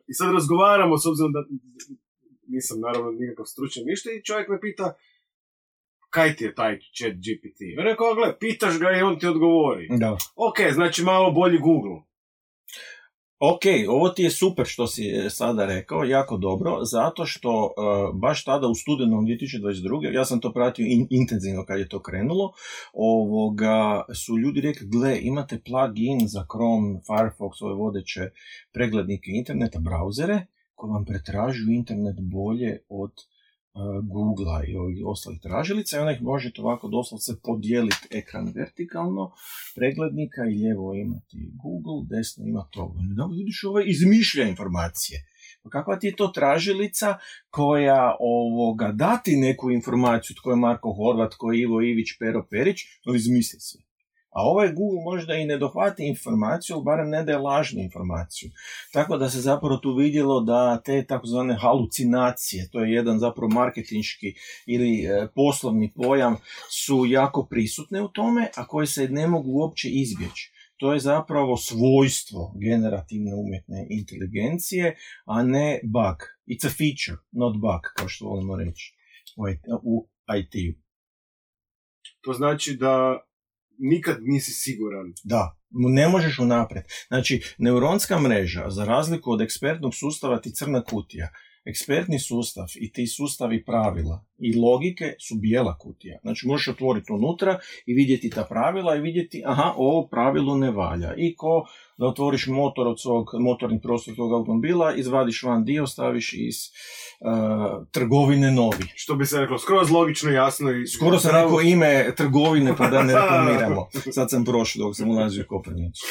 I sad razgovaramo, s obzirom da nisam naravno nikakav stručan ništa, i čovjek me pita kaj ti je taj ChatGPT? Ja rekao, gle, pitaš ga i on ti odgovori. Da. Ok, znači malo bolji Google. Ok, ovo ti je super što si sada rekao, jako dobro, zato što baš tada u studenom 2022. ja sam to pratio intenzivno kad je to krenulo, su ljudi rekli, gle, imate plugin za Chrome, Firefox, ove vodeće preglednike interneta, brauzere, koji vam pretražuju internet bolje od Google-a i ovih ostalih tražilica, i onda ih možete ovako doslovce podijeliti ekran vertikalno preglednika i lijevo imati Google, desno ima to. Da vidiš, izmišlja informacije. Pa kakva ti je to tražilica koja dati neku informaciju, tko je Marko Horvat, tko je Ivo Ivić, Pero Perić, no izmisli se. A Google možda i ne dohvati informaciju, ali barem ne daje lažnu informaciju. Tako da se zapravo tu vidjelo da te takozvane halucinacije, to je jedan zapravo marketinški ili poslovni pojam, su jako prisutne u tome, a koje se ne mogu uopće izbjeći. To je zapravo svojstvo generativne umjetne inteligencije, a ne bug. It's a feature, not bug, kao što volimo reći u IT-u. To znači da nikad nisi siguran. Da, ne možeš unaprijed. Znači, neuronska mreža, za razliku od ekspertnog sustava, ti crna kutija. Ekspertni sustav i ti sustavi pravila i logike su bijela kutija. Znači, možeš otvoriti unutra i vidjeti ta pravila i vidjeti, aha, ovo pravilo ne valja. I ko da otvoriš motorni prostor tog automobila, izvadiš van dio, staviš iz trgovine novi. Što bi se reklo, skroz logično, jasno i... Skoro sam rekao ime trgovine, pa da ne reklamiramo. Sad sam prošao dok sam ulazio u Koprivnicu.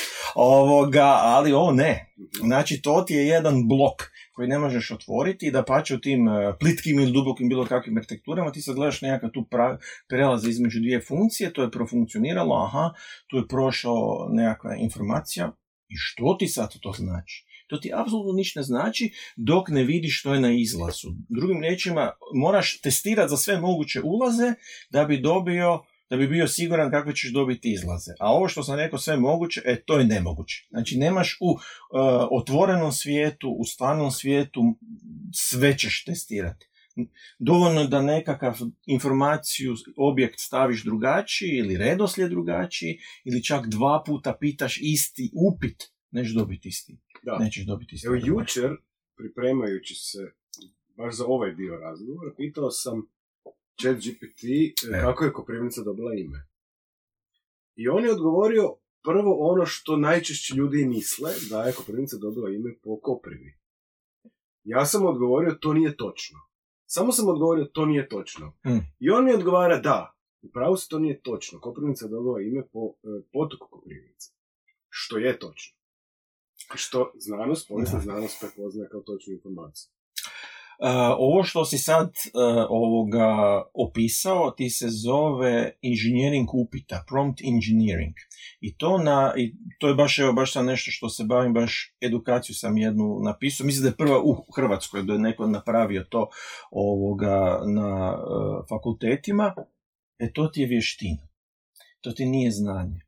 Ali ovo ne. Znači, to ti je jedan blok koji ne možeš otvoriti i da pače u tim plitkim ili dubokim bilo kakvim arhitekturama, ti sad gledaš nekakav tu prelaz između dvije funkcije, to je profunkcioniralo, aha, tu je prošao nekakva informacija. I što ti sad to znači? To ti apsolutno ništa ne znači dok ne vidiš što je na izlazu. Drugim riječima, moraš testirati za sve moguće ulaze da bi bio siguran kakve ćeš dobiti izlaze. A ovo što sam rekao sve moguće, to je nemoguće. Znači, nemaš u otvorenom svijetu, u stvarnom svijetu, sve ćeš testirati. Dovoljno da nekakav informaciju, objekt staviš drugačiji ili redoslijed drugačiji ili čak 2 puta pitaš isti upit, nećeš dobiti isti. Nećeš dobiti isti. Evo, jučer, pripremajući se baš za ovaj dio razgovora, pitao sam ChatGPT kako je Koprivnica dobila ime. I on je odgovorio prvo ono što najčešće ljudi misle, da je Koprivnica dobila ime po Koprivi. Ja sam odgovorio, to nije točno. Samo sam odgovorio, to nije točno. I on mi odgovara, da, upravo se to nije točno. Koprivnica je dobila ime po potoku Koprivnice. Što je točno. Što povijesna znanost prepoznaje kao točnu informaciju. Ovo što si sad opisao ti se zove inženjering upita, prompt engineering. I to je baš sad nešto što se bavim, baš edukaciju sam jednu napisao. Mislim da je prva u Hrvatskoj, da je neko napravio to na fakultetima. To ti je vještina. To ti nije znanje.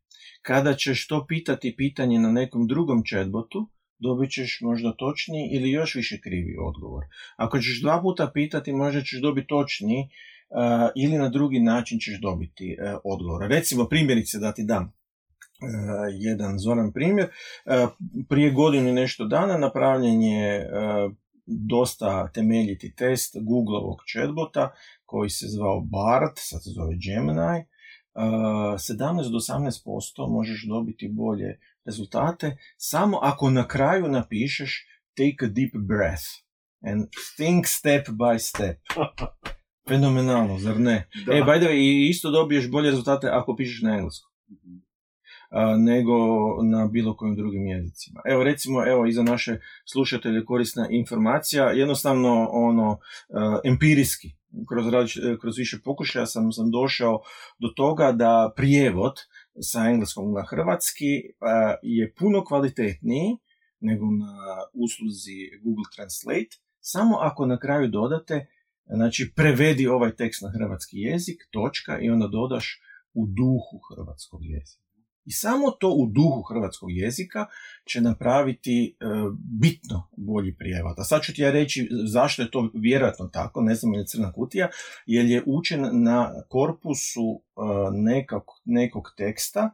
Kada ćeš to pitati pitanje na nekom drugom chatbotu, dobit ćeš možda točniji ili još više krivi odgovor. Ako ćeš 2 puta pitati, možda ćeš dobiti točniji ili na drugi način ćeš dobiti odgovor. Recimo, primjerice da ti dam jedan zoran primjer. Prije godinu i nešto dana napravljen je dosta temeljiti test Googleovog chatbota koji se zvao Bard, sad se zove Gemini. 17 do 18% možeš dobiti bolje rezultate samo ako na kraju napišeš take a deep breath and think step by step. Fenomenalno, zar ne? By the way, i isto dobiješ bolje rezultate ako pišeš na engleskom. nego na bilo kojim drugim jezicima. Evo recimo, i za naše slušatelje korisna informacija, jednostavno empirijski, kroz više pokušaja sam došao do toga da prijevod sa engleskog na hrvatski je puno kvalitetniji nego na usluzi Google Translate, samo ako na kraju dodate, znači prevedi ovaj tekst na hrvatski jezik, točka, i onda dodaš u duhu hrvatskog jezika. I samo to u duhu hrvatskog jezika će napraviti bitno bolji prijevod. A sad ću ti ja reći zašto je to vjerojatno tako, ne znam je li crna kutija, jer je učen na korpusu nekog teksta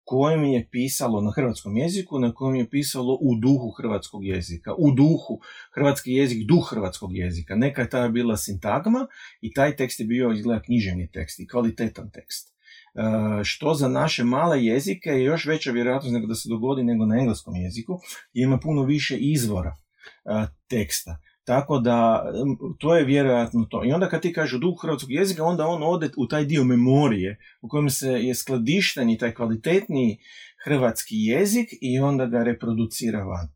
kojem je pisalo na hrvatskom jeziku, na kojem je pisalo u duhu hrvatskog jezika. U duhu, hrvatski jezik, duh hrvatskog jezika. Neka je tada bila sintagma i taj tekst je bio izgleda književni tekst i kvalitetan tekst. Što za naše male jezike je još veća vjerojatnost nego da se dogodi nego na engleskom jeziku, jer ima puno više izvora teksta. Tako da, to je vjerojatno to. I onda kad ti kažeš u duhu hrvatskog jezika, onda on ode u taj dio memorije u kojem se je skladišten i taj kvalitetniji hrvatski jezik i onda ga reproducira van.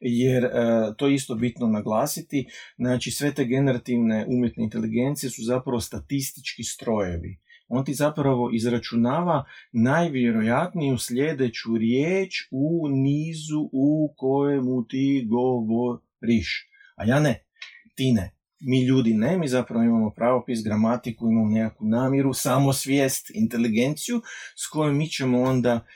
Jer to je isto bitno naglasiti, znači sve te generativne umjetne inteligencije su zapravo statistički strojevi. On ti zapravo izračunava najvjerojatniju sljedeću riječ u nizu u kojemu ti govoriš. A ja ne, ti ne. Mi ljudi ne, mi zapravo imamo pravopis, gramatiku, imamo nekakvu namjeru, samosvijest, inteligenciju s kojom mi ćemo onda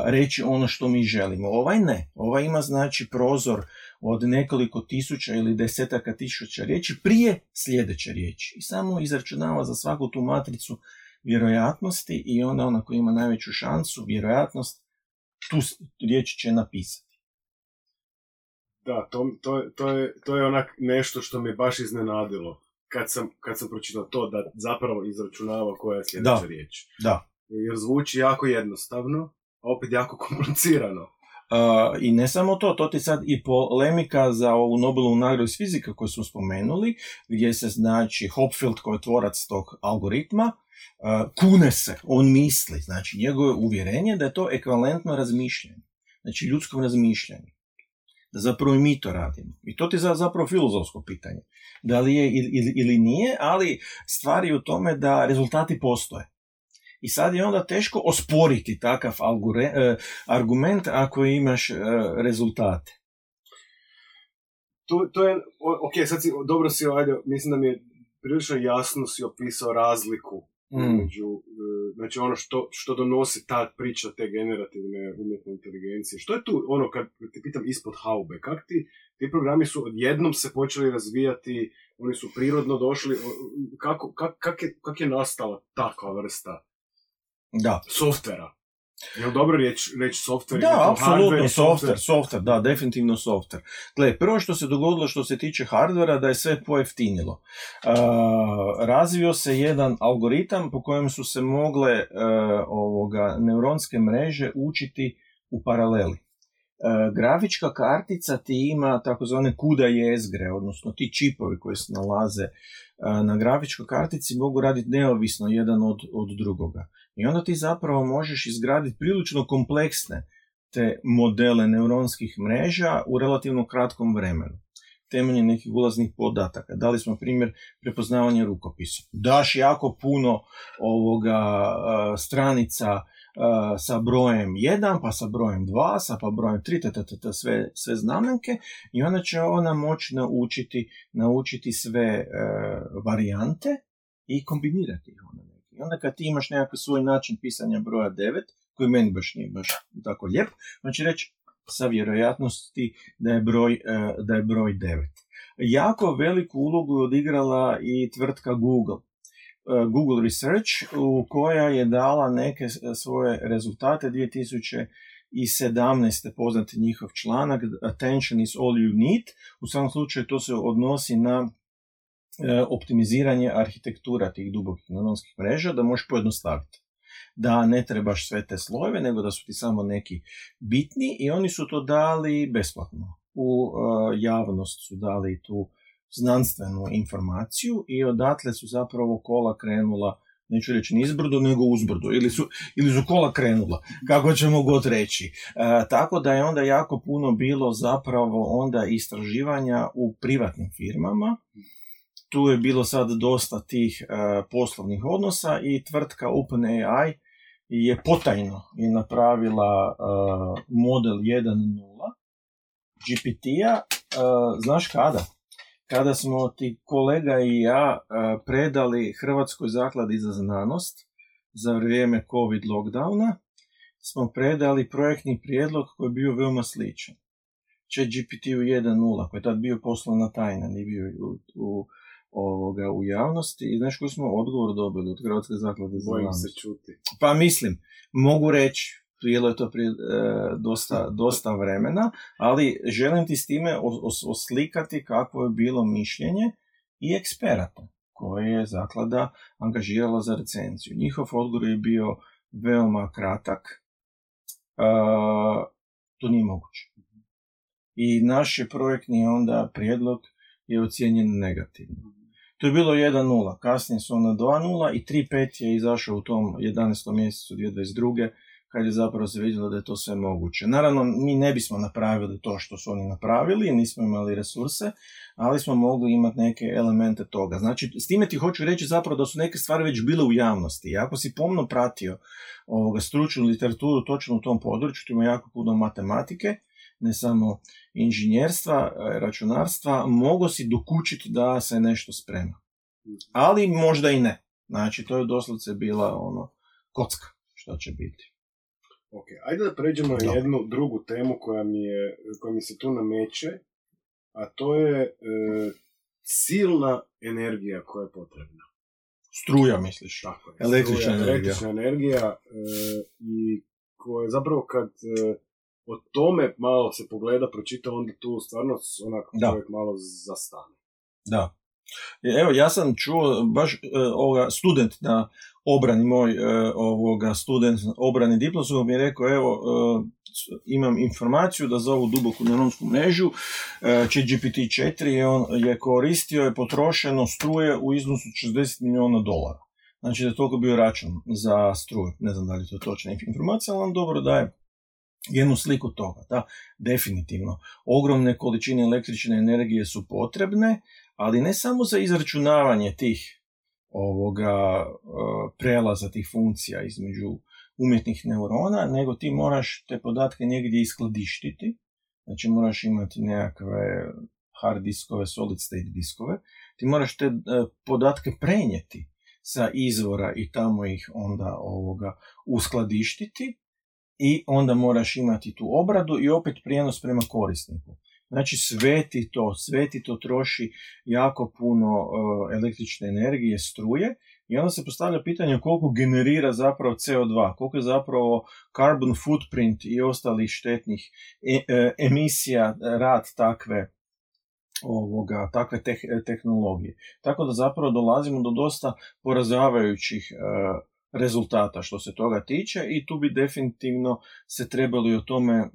reći ono što mi želimo. Ovaj ne, ovaj ima znači prozor od nekoliko tisuća ili desetaka tisuća riječi prije sljedeće riječi. I samo izračunava za svaku tu matricu vjerojatnosti i onda ona koja ima najveću šansu, vjerojatnost, tu riječ će napisati. Da, to je onak nešto što me baš iznenadilo kad sam pročitao to da zapravo izračunava koja je sljedeća riječ. Da. Jer zvuči jako jednostavno, a opet jako komplicirano. I ne samo to ti sad i polemika za ovu Nobelovu nagradu iz fizike koju smo spomenuli, gdje se znači Hopfield koji je tvorac tog algoritma, kune se, on misli, znači njegovo uvjerenje da je to ekvivalentno razmišljanje, znači ljudskom razmišljanju. Da zapravo i mi to radimo. I to ti je zapravo filozofsko pitanje. Da li je ili nije, ali stvar je u tome da rezultati postoje. I sad je onda teško osporiti takav argument ako imaš rezultate. To je, ok, sad dobro si mislim da mi je prilično jasno si opisao razliku među, znači ono što donosi ta priča te generativne umjetne inteligencije. Što je tu, kad te pitam ispod haube, kak ti programi su odjednom se počeli razvijati, oni su prirodno došli, kak je nastala takva vrsta softvera? Je li dobro reći softver? Da, apsolutno, softver, da, definitivno softver. Gle, prvo što se dogodilo što se tiče hardvera, da je sve pojeftinilo. Razvio se jedan algoritam po kojem su se mogle neuronske mreže učiti u paraleli. Grafička kartica ti ima takozvane CUDA jezgre, odnosno ti čipovi koji se nalaze na grafičkoj kartici mogu raditi neovisno jedan od drugoga. I onda ti zapravo možeš izgraditi prilično kompleksne te modele neuronskih mreža u relativno kratkom vremenu. Temeljem nekih ulaznih podataka. Dali smo primjer prepoznavanja rukopisa. Daš jako puno stranica sa brojem 1, pa sa brojem 2, pa brojem 3, sve znamenke i onda će ona moći naučiti sve varijante i kombinirati ih onda. I onda kad ti imaš nekakav svoj način pisanja broja 9, koji meni baš nije baš tako lijep, on će reći sa vjerojatnosti da je broj 9. Jako veliku ulogu je odigrala i tvrtka Google Research, koja je dala neke svoje rezultate 2017. Poznati njihov članak Attention is all you need. U svakom slučaju to se odnosi na optimiziranje arhitektura tih dubokih neuronskih mreža, da možeš pojednostaviti. Da ne trebaš sve te slojeve, nego da su ti samo neki bitni i oni su to dali besplatno. U javnost su dali tu znanstvenu informaciju i odatle su zapravo kola krenula neću reći nizbrdo, nego uzbrdo, ili su kola krenula, kako ćemo god reći. Tako da je onda jako puno bilo zapravo onda istraživanja u privatnim firmama. Tu je bilo sad dosta tih poslovnih odnosa i tvrtka OpenAI je potajno i napravila model 1.0 GPT-a, znaš kada? Kada smo ti kolega i ja predali Hrvatskoj zakladi za znanost za vrijeme COVID lockdowna, smo predali projektni prijedlog koji je bio veoma sličan. ChatGPT-u 1.0, koji je tad bio poslovna tajna, nije bio u javnosti. I znaš koji smo odgovor dobili od Hrvatske zaklade za znanost? Bojim se čuti. Pa mislim, mogu reći, bilo je to prije dosta vremena, ali želim ti s time oslikati kakvo je bilo mišljenje i eksperata koje je zaklada angažirala za recenziju. Njihov odgovor je bio veoma kratak. To nije moguće. I naš je projektni onda prijedlog je ocijenjen negativno. To je bilo 1.0, kasnije su onda 2.0 i 3.5 je izašao u tom 11. mjesecu 2022. kad je zapravo se vidjelo da je to sve moguće. Naravno, mi ne bismo napravili to što su oni napravili, nismo imali resurse, ali smo mogli imati neke elemente toga. Znači, s time ti hoću reći zapravo da su neke stvari već bile u javnosti. I ako si pomno pratio stručnu literaturu točno u tom području, tu ima jako puno matematike, ne samo inženjerstva, računarstva, mogo si dokučiti da se nešto sprema. Ali možda i ne. Znači, to je doslovce bila kocka što će biti. Ok, ajde da pređemo na jednu drugu temu koja mi se tu nameće, a to je silna energija koja je potrebna. Struja, misliš? Tako je. Električna energija i koja zapravo kad o tome malo se pogleda, pročita, onda tu stvarno čovjek malo zastane. Da. Evo, ja sam čuo baš student na obrani moj, student obrani diplomskog mi je rekao, evo, imam informaciju da za ovu duboku neuronsku mrežu ChatGPT 4 on je koristio, je potrošeno struje u iznosu $60 milijuna. Znači da je toliko bio račun za struju. Ne znam da li je to točna informacija, ali vam dobro daje jednu sliku toga. Da, definitivno. Ogromne količine električne energije su potrebne, ali ne samo za izračunavanje tih prelaza tih funkcija između umjetnih neurona, nego ti moraš te podatke negdje iskladištiti, znači moraš imati nekakve hard diskove, solid state diskove, ti moraš te podatke prenijeti sa izvora i tamo ih onda uskladištiti i onda moraš imati tu obradu i opet prijenos prema korisniku. Znači sve ti to troši jako puno električne energije, struje i onda se postavlja pitanje koliko generira zapravo CO2, koliko je zapravo carbon footprint i ostalih štetnih emisija rad takve tehnologije. Tako da zapravo dolazimo do dosta poražavajućih rezultata što se toga tiče i tu bi definitivno se trebali o tome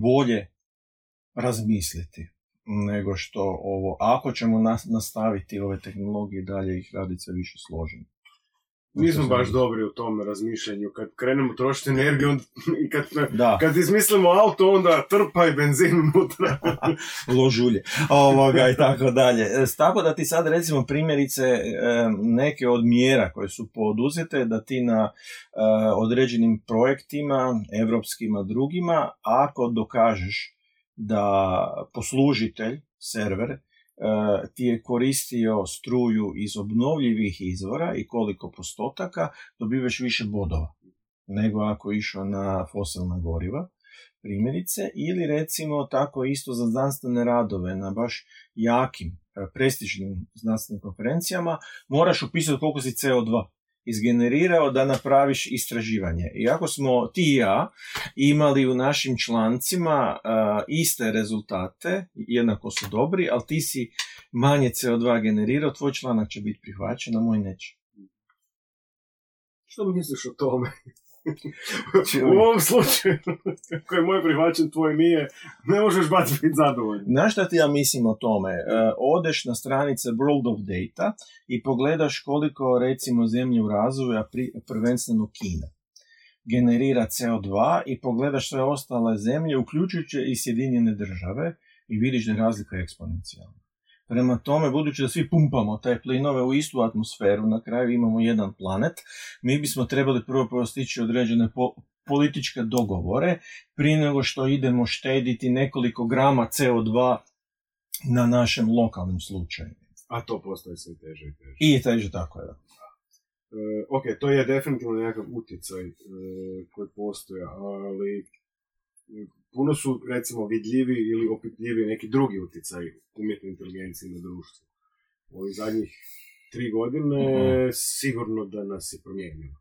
bolje razmisliti nego što ako ćemo nastaviti ove tehnologije dalje ih raditi sve više složeno. Nismo baš dobri u tom razmišljanju. Kad krenemo trošiti energiju i kad izmislimo auto, onda trpa i benzin unutra. Ložulje. I tako dalje. Tako da ti sad recimo primjerice neke od mjera koje su poduzete, da ti na određenim projektima, evropskima, drugima, ako dokažeš da poslužitelj, server, ti je koristio struju iz obnovljivih izvora i koliko postotaka, dobivaš više bodova nego ako je išao na fosilna goriva, primjerice, ili recimo tako isto za znanstvene radove na baš jakim, prestižnim znanstvenim konferencijama, moraš upisati koliko si CO2 izgenerirao da napraviš istraživanje. Iako smo ti i ja imali u našim člancima iste rezultate, jednako su dobri, ali ti si manje CO2 generirao, tvoj članak će biti prihvaćen, a moj neće. Što misliš o tome? U ovom slučaju, koji je moj prihvaćen, tvoj nije, ne možeš baš biti zadovoljan. Znaš šta ti ja mislim o tome? Odeš na stranice World of Data i pogledaš koliko, recimo, zemlje u razvoju, a prvenstveno Kina, generira CO2 i pogledaš sve ostale zemlje, uključujući i Sjedinjene države, i vidiš da je razlika eksponencijalna. Prema tome, budući da svi pumpamo te plinove u istu atmosferu, na kraju imamo jedan planet, mi bismo trebali prvo postići određene političke dogovore prije nego što idemo štediti nekoliko grama CO2 na našem lokalnim slučaju. A to postoji sve teže i teže. I teže, tako je. Ok, to je definitivno nekakav utjecaj koji postoji, ali puno su, recimo, vidljivi ili opipljivi neki drugi utjecaj umjetne inteligencije na društvo. U ovih zadnjih 3 godine sigurno da nas je promijenilo.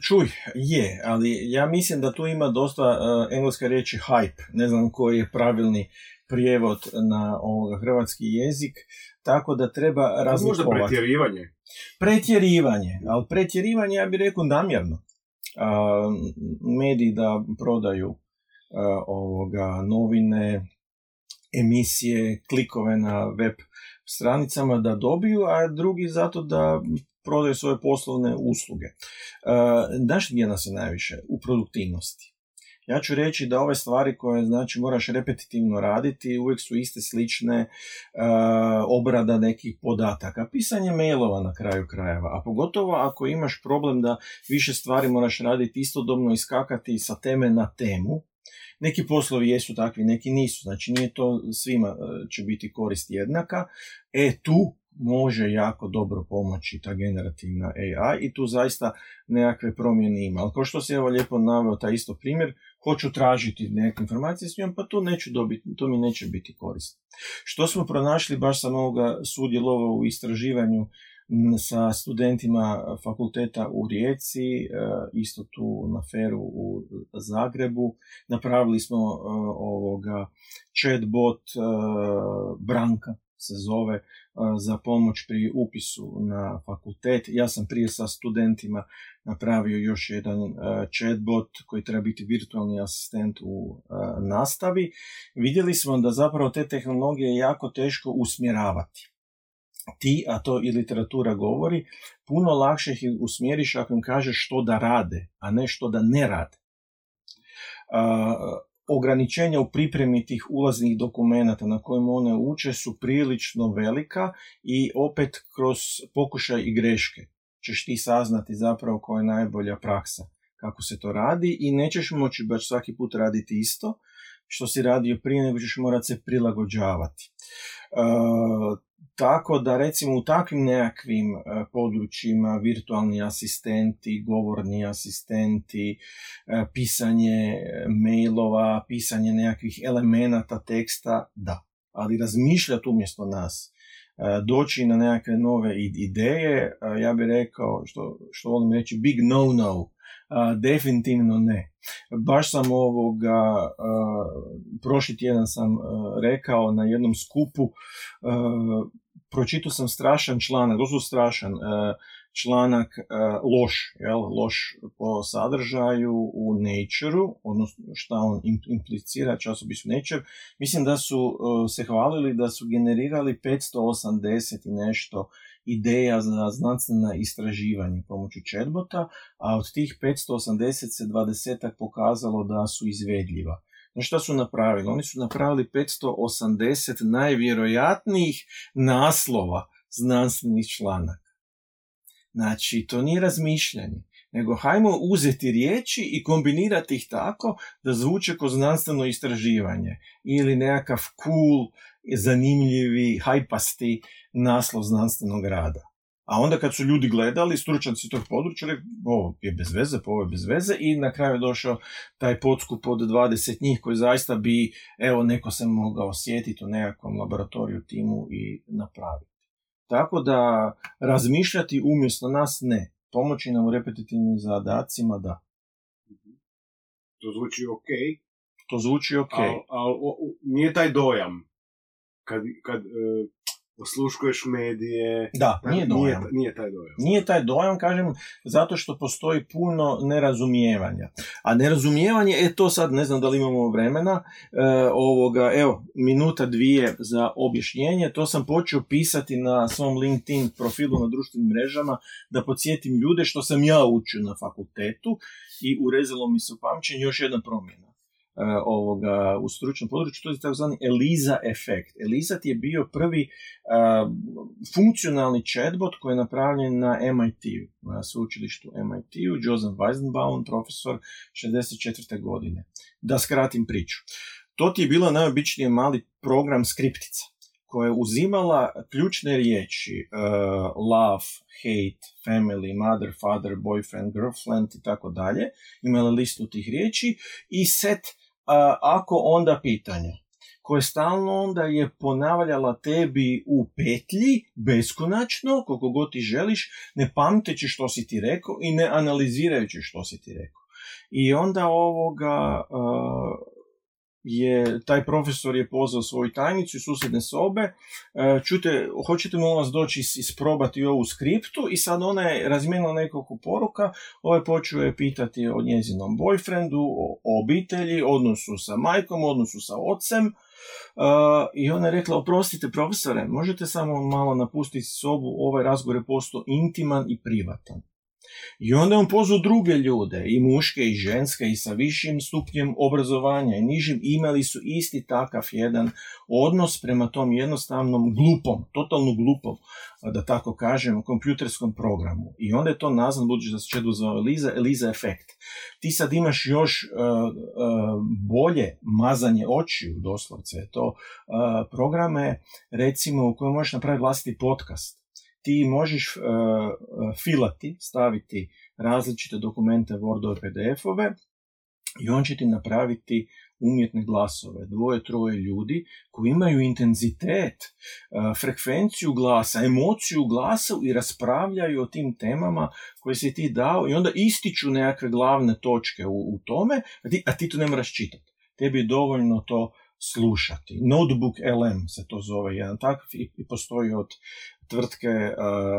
Čuj, je, ali ja mislim da tu ima dosta engleske riječi hype, ne znam koji je pravilni prijevod na hrvatski jezik, tako da treba razlikovati. Možda pretjerivanje. Pretjerivanje, ali pretjerivanje ja bih rekao namjerno. Mediji da prodaju novine, emisije, klikove na web stranicama da dobiju, a drugi zato da prodaju svoje poslovne usluge. Znaš gdje nas je najviše? U produktivnosti. Ja ću reći da ove stvari koje, znači, moraš repetitivno raditi, uvijek su iste, slične, obrada nekih podataka, pisanje mailova na kraju krajeva, a pogotovo ako imaš problem da više stvari moraš raditi istodobno, iskakati sa teme na temu. Neki poslovi jesu takvi, neki nisu, znači nije to svima će biti korist jednaka. Tu može jako dobro pomoći ta generativna AI i tu zaista nekakve promjene ima. Ali kao što si evo lijepo naveo taj isto primjer, hoću tražiti neke informacije s njom, pa to mi neće biti korisno. Što smo pronašli, baš sam ovoga sudjelovao u istraživanju sa studentima fakulteta u Rijeci, isto tu na FER-u u Zagrebu. Napravili smo chatbot Branka se zove, za pomoć pri upisu na fakultet. Ja sam prije sa studentima napravio još jedan chatbot koji treba biti virtualni asistent u nastavi. Vidjeli smo da zapravo te tehnologije je jako teško usmjeravati. A to i literatura govori, puno lakše ih usmjeriš ako im kažeš što da rade, a ne što da ne rade. Ograničenja u pripremi tih ulaznih dokumenata na kojima one uče su prilično velika i opet kroz pokušaj i greške ćeš ti saznati zapravo koja je najbolja praksa, kako se to radi, i nećeš moći baš svaki put raditi isto što si radio prije, nego ćeš morati se prilagođavati. Tako da, recimo, u takvim nekakvim područjima virtualni asistenti, govorni asistenti, pisanje mailova, pisanje nekakvih elemenata teksta, da. Ali razmišljati umjesto nas, doći na nekakve nove ideje, ja bih rekao, što volim reći, big no. Definitivno ne. Baš sam prošli tjedan sam rekao na jednom skupu, pročitao sam strašan članak, doslovno strašan članak, loš po sadržaju u Nature-u, odnosno šta on implicira, časopisu Nature. Mislim da su se hvalili da su generirali 580 i nešto ideja za znanstvena istraživanja pomoću chatbota, a od tih 580 se 20 pokazalo da su izvedljiva. No šta su napravili? Oni su napravili 580 najvjerojatnijih naslova znanstvenih članaka. Znači, to nije razmišljanje, nego hajmo uzeti riječi i kombinirati ih tako da zvuče kao znanstveno istraživanje ili nekakav cool, zanimljivi, hajpasti naslov znanstvenog rada. A onda kad su ljudi gledali, stručnjaci tog područja, ovo je bez veze, ovo je bez veze, i na kraju je došao taj podskup od 20 njih koji zaista bi, neko se mogao osjetiti u nekakvom laboratoriju, timu i napraviti. Tako da razmišljati umjesto nas ne. Pomoći nam u repetitivnim zadacima, da. To zvuči ok. To zvuči ok. Ali nije taj dojam. Kad osluškuješ medije. Da, nije dojam. Nije taj dojam. Nije taj dojam, kažem, zato što postoji puno nerazumijevanja. A nerazumijevanje, to sad ne znam da li imamo vremena, evo, minuta dvije za objašnjenje, to sam počeo pisati na svom LinkedIn profilu na društvenim mrežama, da podsjetim ljude što sam ja učio na fakultetu i urezalo mi se u pamćenje još jedna promjena. U stručnom području, to je takozvani ELIZA efekt. ELIZA je bio prvi funkcionalni chatbot koji je napravljen na MIT-u, na sveučilištu MIT-u, Joseph Weizenbaum, profesor 64. godine. Da skratim priču. To ti je bilo najobičniji mali program skriptica koja je uzimala ključne riječi love, hate, family, mother, father, boyfriend, girlfriend i tako dalje. Imala listu tih riječi i set ako onda pitanja koje stalno onda je ponavljala tebi u petlji beskonačno, koliko god ti želiš, ne pamteći što si ti rekao i ne analizirajući što si ti rekao. I onda taj profesor je pozvao svoju tajnicu iz susjedne sobe, čujte, hoćete molim vas doći isprobati ovu skriptu, i sad ona je razmijenila nekoliko poruka, počeo je pitati o njezinom boyfriendu, o obitelji, odnosu sa majkom, odnosu sa ocem, i ona je rekla, oprostite profesore, možete samo malo napustiti sobu, ovaj razgovor je postao intiman i privatan. I onda je on pozvao druge ljude, i muške i ženske, i sa višim stupnjem obrazovanja i nižim, imali su isti takav jedan odnos prema tom jednostavnom glupom, totalno glupom, da tako kažem, kompjuterskom programu. I onda je to nazvan, budući da se čedo zove ELIZA efekt. Ti sad imaš još bolje mazanje očiju, doslovce je to, programe, recimo, u kojoj možeš napraviti vlastiti podcast. Ti možeš filati, staviti različite dokumente, Wordove, PDF-ove, i on će ti napraviti umjetne glasove, 2-3 ljudi koji imaju intenzitet, frekvenciju glasa, emociju glasa i raspravljaju o tim temama koje si ti dao, i onda ističu nekakve glavne točke u tome, a ti to ne moraš čitati. Tebi je dovoljno to slušati. Notebook LM se to zove, jedan takav, i postoji od tvrtke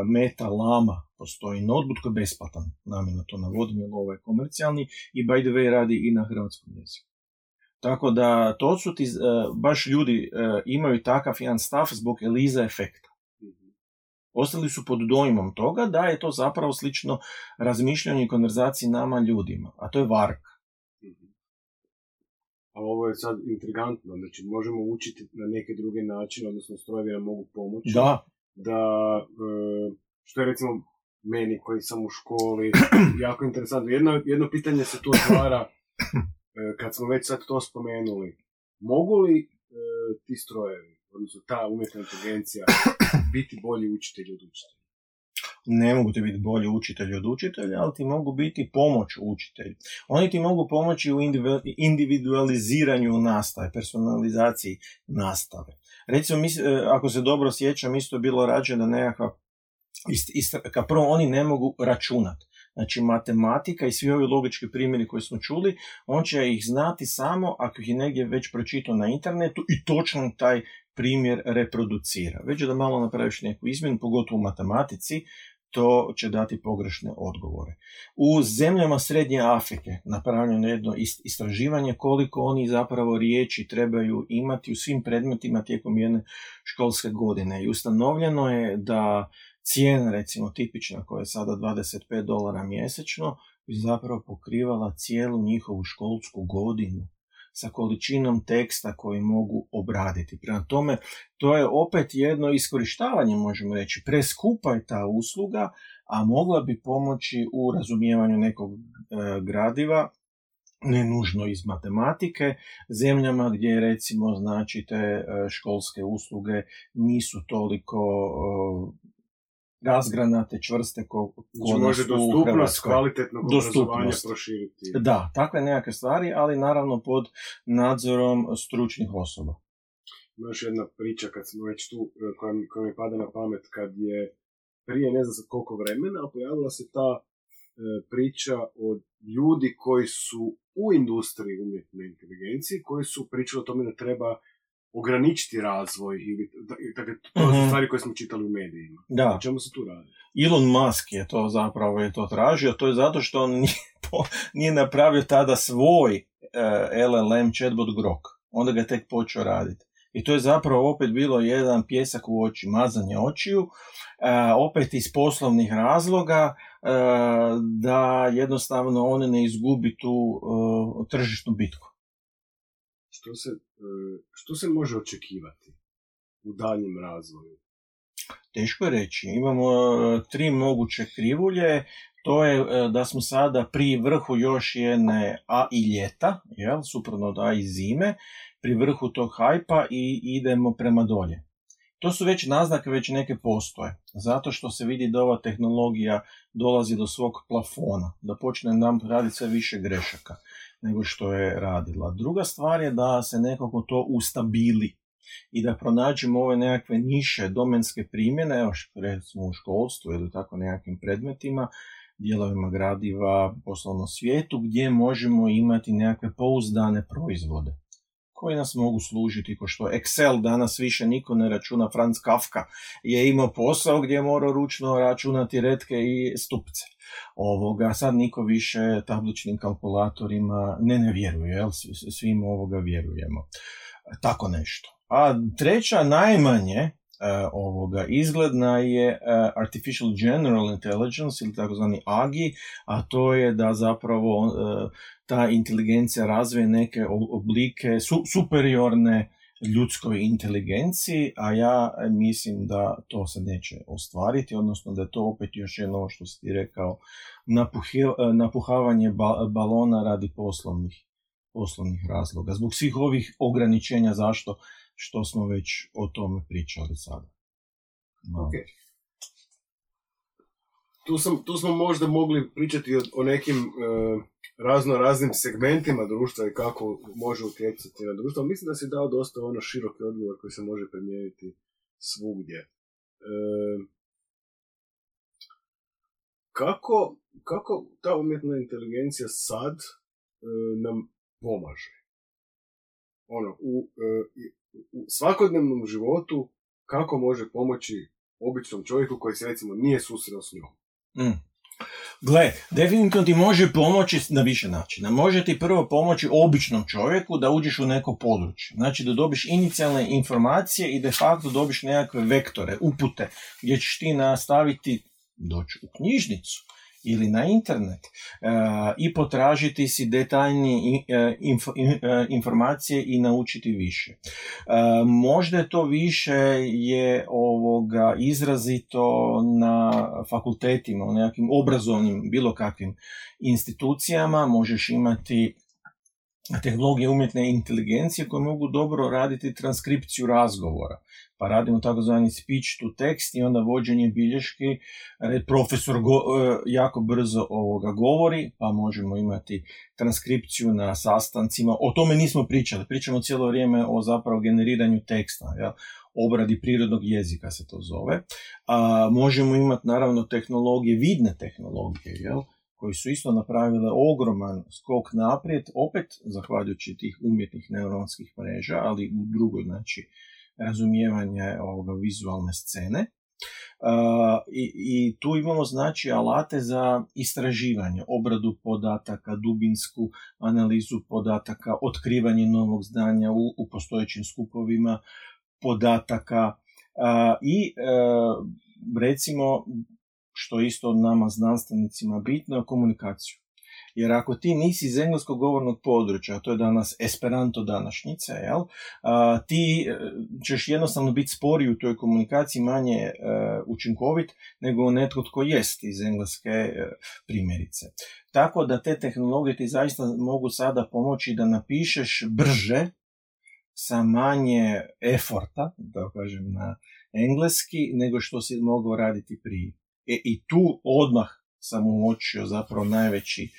Meta Llama, postoji notebook koji je besplatan, namjerno to navodim, jer ovo je komercijalni i by the way radi i na hrvatskom jeziku. Tako da to su ti, baš ljudi imaju takav jedan stav zbog ELIZA efekta. Ostali su pod dojmom toga da je to zapravo slično razmišljanju i konverzaciji nama ljudima, a to je varka. A ovo je sad intrigantno, znači možemo učiti na neke druge načine, odnosno strojevi nam mogu pomoći. Da, što je recimo meni koji sam u školi, jako interesantno. Jedno pitanje se tu otvara, kad smo već sad to spomenuli. Mogu li ti strojevi, odnosno ta umjetna inteligencija, biti bolji učitelji od učitelja? Ne mogu ti biti bolji učitelji od učitelja, ali ti mogu biti pomoć učitelju. Oni ti mogu pomoći u individualiziranju nastave, personalizaciji nastave. Recimo, ako se dobro sjećam, isto je bilo rađeno nekakva, kao prvo oni ne mogu računati. Znači, matematika i svi ovi logički primjeri koji smo čuli, on će ih znati samo ako ih je negdje već pročitao na internetu i točno taj primjer reproducira. Već da malo napraviš neku izmjenu, pogotovo u matematici, to će dati pogrešne odgovore. U zemljama Srednje Afrike napravljeno jedno istraživanje koliko oni zapravo riječi trebaju imati u svim predmetima tijekom jedne školske godine. I ustanovljeno je da cijena, recimo tipična, koja je sada $25 mjesečno, bi zapravo pokrivala cijelu njihovu školsku godinu sa količinom teksta koji mogu obraditi. Prema tome, to je opet jedno iskorištavanje, možemo reći. Preskupa je ta usluga, a mogla bi pomoći u razumijevanju nekog gradiva, ne nužno iz matematike, zemljama gdje recimo znači te školske usluge nisu toliko razgranate, čvrste može dostupnost kvalitetnog obrazovanja proširiti. Da, takve nekakve stvari, ali naravno pod nadzorom stručnih osoba. Ima još jedna priča kad smo već tu, koja mi pada na pamet, kad je prije ne znam koliko vremena pojavila se ta priča od ljudi koji su u industriji umjetne inteligencije, koji su pričali o tome da treba ograničiti razvoj ili dakle, to su stvari koje smo čitali u medijima. Da. O čemu se tu radi? Elon Musk je to tražio, to je zato što on nije napravio tada svoj LLM chatbot Grok. Onda ga tek počeo raditi. I to je zapravo opet bilo jedan pjesak u oči, mazanje očiju, opet iz poslovnih razloga, da jednostavno on ne izgubi tu tržišnu bitku. Što se može očekivati u daljem razvoju? Teško je reći. Imamo 3 moguće krivulje. To je da smo sada pri vrhu još jedne A i ljeta, suprotno od A i zime, pri vrhu tog hajpa i idemo prema dolje. To su već naznake, već neke postoje, zato što se vidi da ova tehnologija dolazi do svog plafona, da počne nam raditi sve više grešaka nego što je radila. Druga stvar je da se nekako to ustabili i da pronađemo ove nekakve niše domenske primjene, evo recimo u školstvu ili tako nekakvim predmetima, dijelovima gradiva, poslovnom svijetu, gdje možemo imati nekakve pouzdane proizvode koji nas mogu služiti, ko što Excel danas više niko ne računa. Franz Kafka je imao posao gdje je morao ručno računati retke i stupce. Sad niko više tabličnim kalkulatorima ne vjeruje, svim vjerujemo. Tako nešto. A treća, najmanje izgledna je Artificial General Intelligence ili takozvani AGI, a to je da zapravo ta inteligencija razvije neke oblike superiorne ljudskoj inteligenciji, a ja mislim da to se neće ostvariti, odnosno da je to opet još jedno što si ti rekao, napuhavanje balona radi poslovnih razloga. Zbog svih ovih ograničenja, zašto? Što smo već o tome pričali sada. Okay. Tu smo možda mogli pričati o nekim raznim segmentima društva i kako može utjecati na društvo. Mislim da si dao dosta široki odgovor koji se može primijeniti svugdje. Kako ta umjetna inteligencija sad nam pomaže? U svakodnevnom životu kako može pomoći običnom čovjeku koji se recimo nije susreo s njom? Gle, definitivno ti može pomoći na više načina. Može ti prvo pomoći običnom čovjeku da uđeš u neko područje. Znači da dobiš inicijalne informacije i de facto dobiš nekakve vektore, upute, gdje ćeš ti nastaviti doći u knjižnicu ili na internet i potražiti si detaljnije informacije i naučiti više. Možda je to više je izrazito na fakultetima, u nekakvim obrazovnim bilo kakvim institucijama. Možeš imati tehnologije umjetne inteligencije koje mogu dobro raditi transkripciju razgovora. Pa radimo takozvani speech to text i onda vođenje bilješki. Profesor jako brzo govori, pa možemo imati transkripciju na sastancima. O tome nismo pričali. Pričamo cijelo vrijeme o zapravo generiranju teksta, obradi prirodnog jezika se to zove. Možemo imati naravno tehnologije, vidne tehnologije, koji su isto napravile ogroman skok naprijed, opet zahvaljujući tih umjetnih neuronskih mreža, ali u drugoj, znači, razumijevanje vizualne scene. I tu imamo, znači, alate za istraživanje, obradu podataka, dubinsku analizu podataka, otkrivanje novog znanja u postojećim skupovima podataka i recimo, što isto nama znanstvenicima bitno, je komunikaciju. Jer ako ti nisi iz engleskog govornog područja, a to je danas Esperanto današnjice, ti ćeš jednostavno biti sporiji u toj komunikaciji, manje učinkovit nego netko tko jest iz engleske primjerice. Tako da te tehnologije ti zaista mogu sada pomoći da napišeš brže, sa manje eforta, da kažem na engleski, nego što si mogao raditi prije. I tu odmah sam uočio zapravo najveći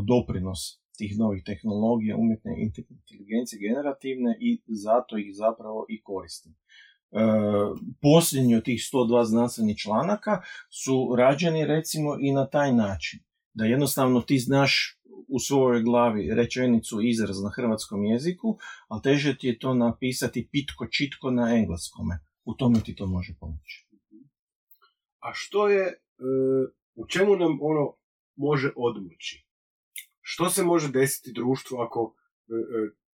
doprinos tih novih tehnologija, umjetne inteligencije generativne, i zato ih zapravo i koristim. Posljednji od tih 102 znanstvenih članaka su rađeni recimo i na taj način, da jednostavno ti znaš u svojoj glavi rečenicu, izraz na hrvatskom jeziku, ali teže ti je to napisati pitko, čitko na engleskome. U tome ti to može pomoći. A što je, u čemu nam ono može odmoći? Što se može desiti društvu ako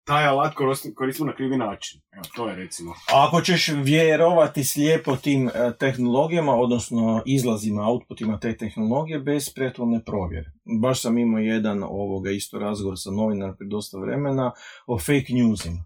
taj alat koristimo na krivi način? Evo, to je recimo. Ako ćeš vjerovati slijepo tim tehnologijama, odnosno izlazima, outputima te tehnologije, bez prethodne provjere. Baš sam imao jedan isto razgovor sa novinarom prije dosta vremena o fake newsima.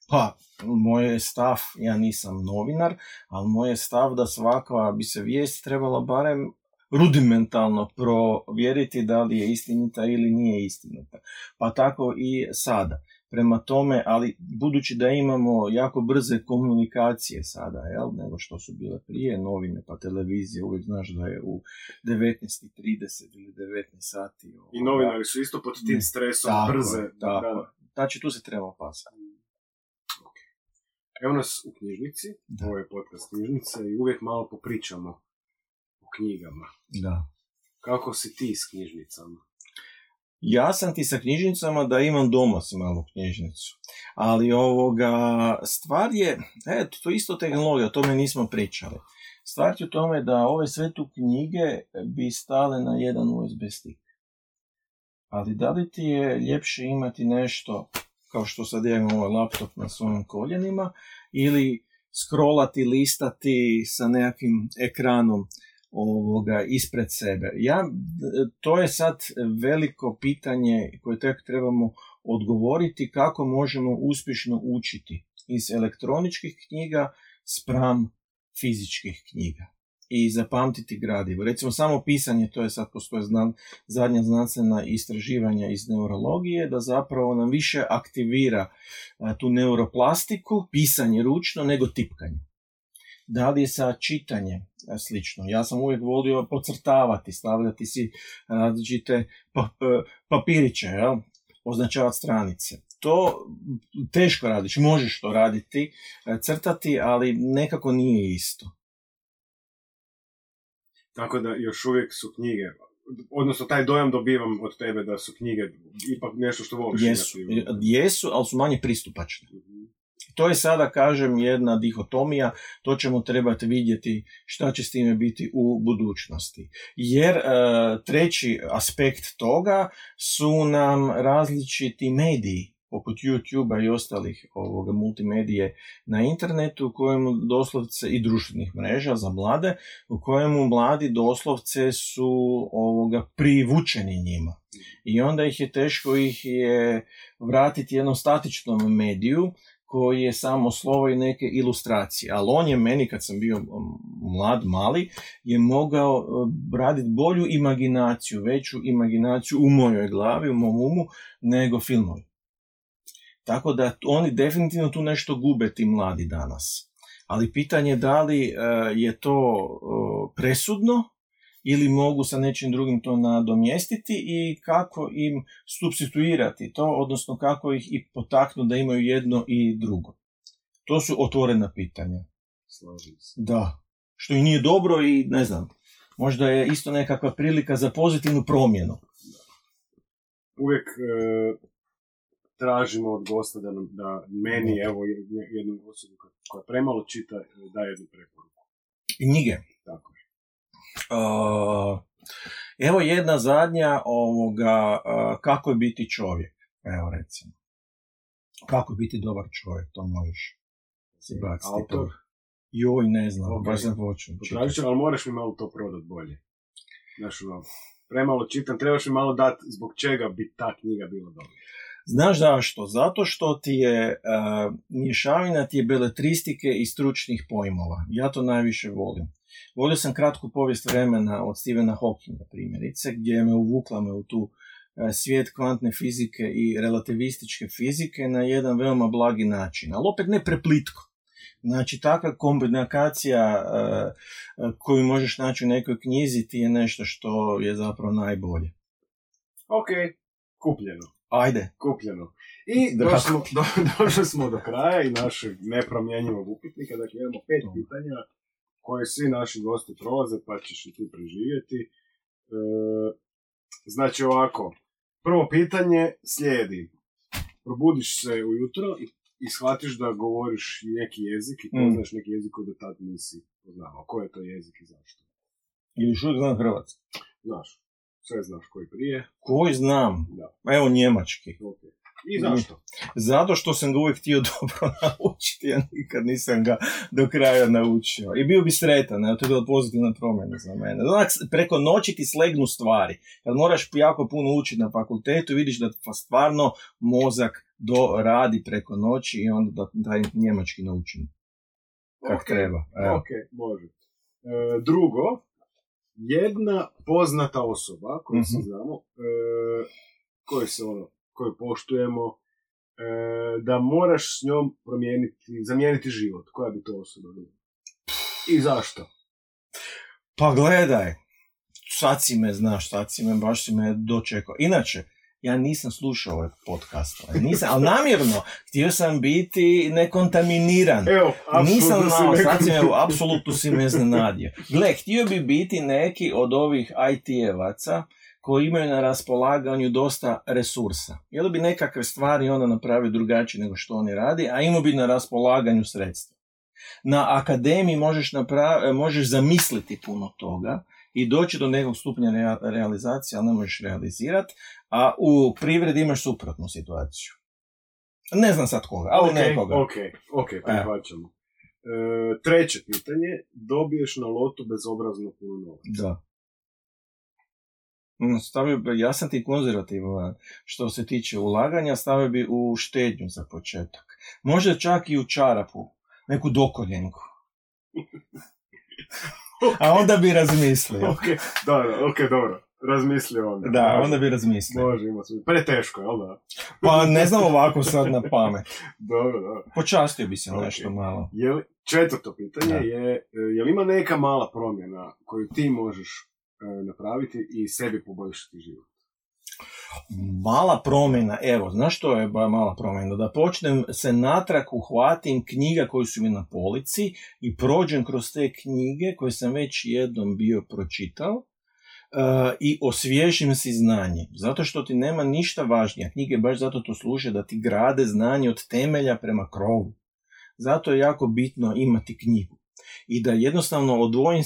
Pa, moj je stav, ja nisam novinar, ali moj je stav da svaka bi se vijest trebala barem rudimentalno provjeriti da li je istinita ili nije istinita. Pa tako i sada. Prema tome, ali budući da imamo jako brze komunikacije sada, nego što su bile prije, novine pa televizije, uvijek znaš da je u 19:30 ili 19 sati. I novinari su isto pod tim stresom tako, brze. Tako. Znači tu se treba pasati. Evo nas u knjižnici, ovo je podcast knjižnice i uvijek malo popričamo o knjigama. Da. Kako si ti s knjižnicama? Ja sam ti sa knjižnicama da imam doma si malu knjižnicu. Ali stvar je, to je isto tehnologija, o tome nismo pričali. Stvar je u tome da ove sve tu knjige bi stale na jedan USB stick. Ali da li ti je ljepše imati nešto, kao što sad ja imam ovaj laptop na svojim koljenima, ili scrollati, listati sa nekakvim ekranom ispred sebe. To je sad veliko pitanje koje tek trebamo odgovoriti kako možemo uspješno učiti iz elektroničkih knjiga spram fizičkih knjiga i zapamtiti gradivo. Recimo samo pisanje, to je sad postoje zadnja znanstvena istraživanja iz neurologije, da zapravo nam više aktivira tu neuroplastiku, pisanje ručno, nego tipkanje. Da li je sa čitanjem slično? Ja sam uvijek volio podcrtavati, stavljati si različite papiriće, označavati stranice. To teško radiš, možeš to raditi, crtati, ali nekako nije isto. Tako da još uvijek su knjige, odnosno taj dojam dobivam od tebe da su knjige ipak nešto što voliš. Jesu, ali su manje pristupačne. To je sada, kažem, jedna dihotomija, to ćemo trebati vidjeti šta će s time biti u budućnosti. Jer treći aspekt toga su nam različiti mediji, poput YouTube-a i ostalih multimedije na internetu, u kojemu doslovce i društvenih mreža za mlade, u kojemu mladi doslovce su privučeni njima. I onda teško ih je vratiti jednom statičnom mediju, koji je samo slovo i neke ilustracije. Ali on je meni, kad sam bio mlad, mali, je mogao raditi bolju imaginaciju, veću imaginaciju u mojoj glavi, u mom umu, nego filmovi. Tako da oni definitivno tu nešto gube, ti mladi danas. Ali pitanje je da li je to presudno ili mogu sa nečim drugim to nadomjestiti i kako im supstituirati to, odnosno kako ih i potaknu da imaju jedno i drugo. To su otvorena pitanja. Slažem se. Da. Što i nije dobro i ne znam, možda je isto nekakva prilika za pozitivnu promjenu. Uvijek tražimo od gosta da meni, evo, jednu osobu koja premalo čita, da jednu preporuku. Knjige. Tako je. Evo jedna zadnja kako je biti čovjek. Evo recimo. Kako biti dobar čovjek, to možeš si baciti. Autor? Joj, ne znam, Okay. baš sam počeo. Potražit ću, ali moraš mi malo to prodat bolje. Znaš, premalo čitam, trebaš mi malo dati zbog čega bi ta knjiga bila dobra. Znaš zašto? Zato što ti je mješavina ti je beletristike i stručnih pojmova. Ja to najviše volim. Volio sam kratku povijest vremena od Stephena Hawkinga, primjerice, gdje me uvukla u tu svijet kvantne fizike i relativističke fizike na jedan veoma blagi način, ali opet ne preplitko. Znači, takva kombinacija koju možeš naći u nekoj knjizi ti je nešto što je zapravo najbolje. Ok, kupljeno. Ajde. Kupljeno. I došli smo do kraja i našeg nepromjenjivog upitnika. Dakle, imamo 5 pitanja koje svi naši gosti prolaze, pa ćeš i ti preživjeti. Znači ovako, Prvo pitanje slijedi. Probudiš se ujutro i shvatiš da govoriš neki jezik i poznaš neki jezik koji do tad nisi poznao. Koji je to jezik i zašto? Ili što znam hrvatski? Znaš. Sve znaš koji prije. Koji znam? Da. Evo njemački. Okay. I zašto? Zato što sam ga uvijek htio dobro naučiti, ja nikad nisam ga do kraja naučio. I bio bi sretan, to je bila pozitivna promjena za mene. Preko noći ti slegnu stvari. Kad moraš jako puno učiti na fakultetu, vidiš da stvarno mozak radi preko noći i onda da taj njemački naučim. Kako treba. Ok, može. Drugo, jedna poznata osoba koju se znamo, koju poštujemo, da moraš s njom zamijeniti život. Koja bi to osoba bila? I zašto? Pa gledaj, sad si me baš si me dočekao. Inače, ja nisam slušao ovaj podcast, ali namjerno, htio sam biti nekontaminiran. Evo, apsolutno si me iznenadio. Gle, htio bi biti neki od ovih IT-evaca koji imaju na raspolaganju dosta resursa. Jel bi nekakve stvari onda napravio drugačije nego što oni radi, a imao bi na raspolaganju sredstva. Na akademiji možeš zamisliti puno toga i doći do nekog stupnja realizacije, ali ne možeš realizirati, a u privredi imaš suprotnu situaciju. Ne znam sad koga, ali nekoga. Ok, prihvaćamo. Treće pitanje, dobiješ na lotu bezobrazno puno novaca. Da. Ja sam ti konzervativan što se tiče ulaganja, stavio bi u štednju za početak. Možda čak i u čarapu, neku dokoljenku. A onda bi razmislio. Dobro. Razmislio onda. Da, onda bi razmislio. Može, ima sve. Preteško, jel da? Pa ne znam ovako sad na pamet. Dobro. Počastio bi se nešto malo. Četvrto pitanje je li ima neka mala promjena koju ti možeš napraviti i sebi poboljšati život? Mala promjena, evo, znaš što je mala promjena? Da počnem se natrag uhvatim knjiga koje su mi na polici i prođem kroz te knjige koje sam već jednom bio pročitao i osvježim si znanje. Zato što ti nema ništa važnije. Knjige baš zato to služe da ti grade znanje od temelja prema krovu. Zato je jako bitno imati knjigu. I da jednostavno odvojim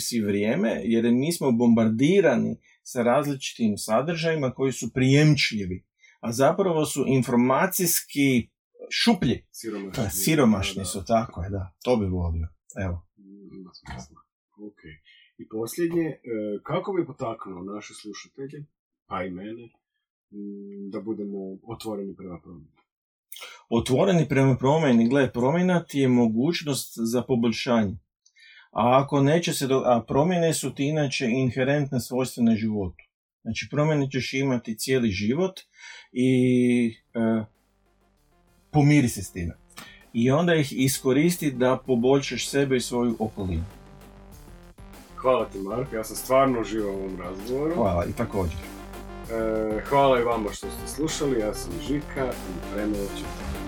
si vrijeme, jer mi smo bombardirani sa različitim sadržajima koji su prijemčljivi, a zapravo su informacijski šuplji. Siromašni su, tako je, da. To bi volio. Evo. Ok. I posljednje, kako bi potaknuo naše slušatelje, pa i mene, da budemo otvoreni prema promjeni? Otvoreni prema promjeni, promjena ti je mogućnost za poboljšanje. A ako neće a promjene su ti inače inherentne svojstvene životu. Znači promjene ćeš imati cijeli život i pomiri se s time. I onda ih iskoristi da poboljšaš sebe i svoju okolinu. Hvala ti, Mark, ja sam stvarno uživao u ovom razgovoru. Hvala, i također. Hvala i vama što ste slušali, ja sam Žika i Premalo Čitam.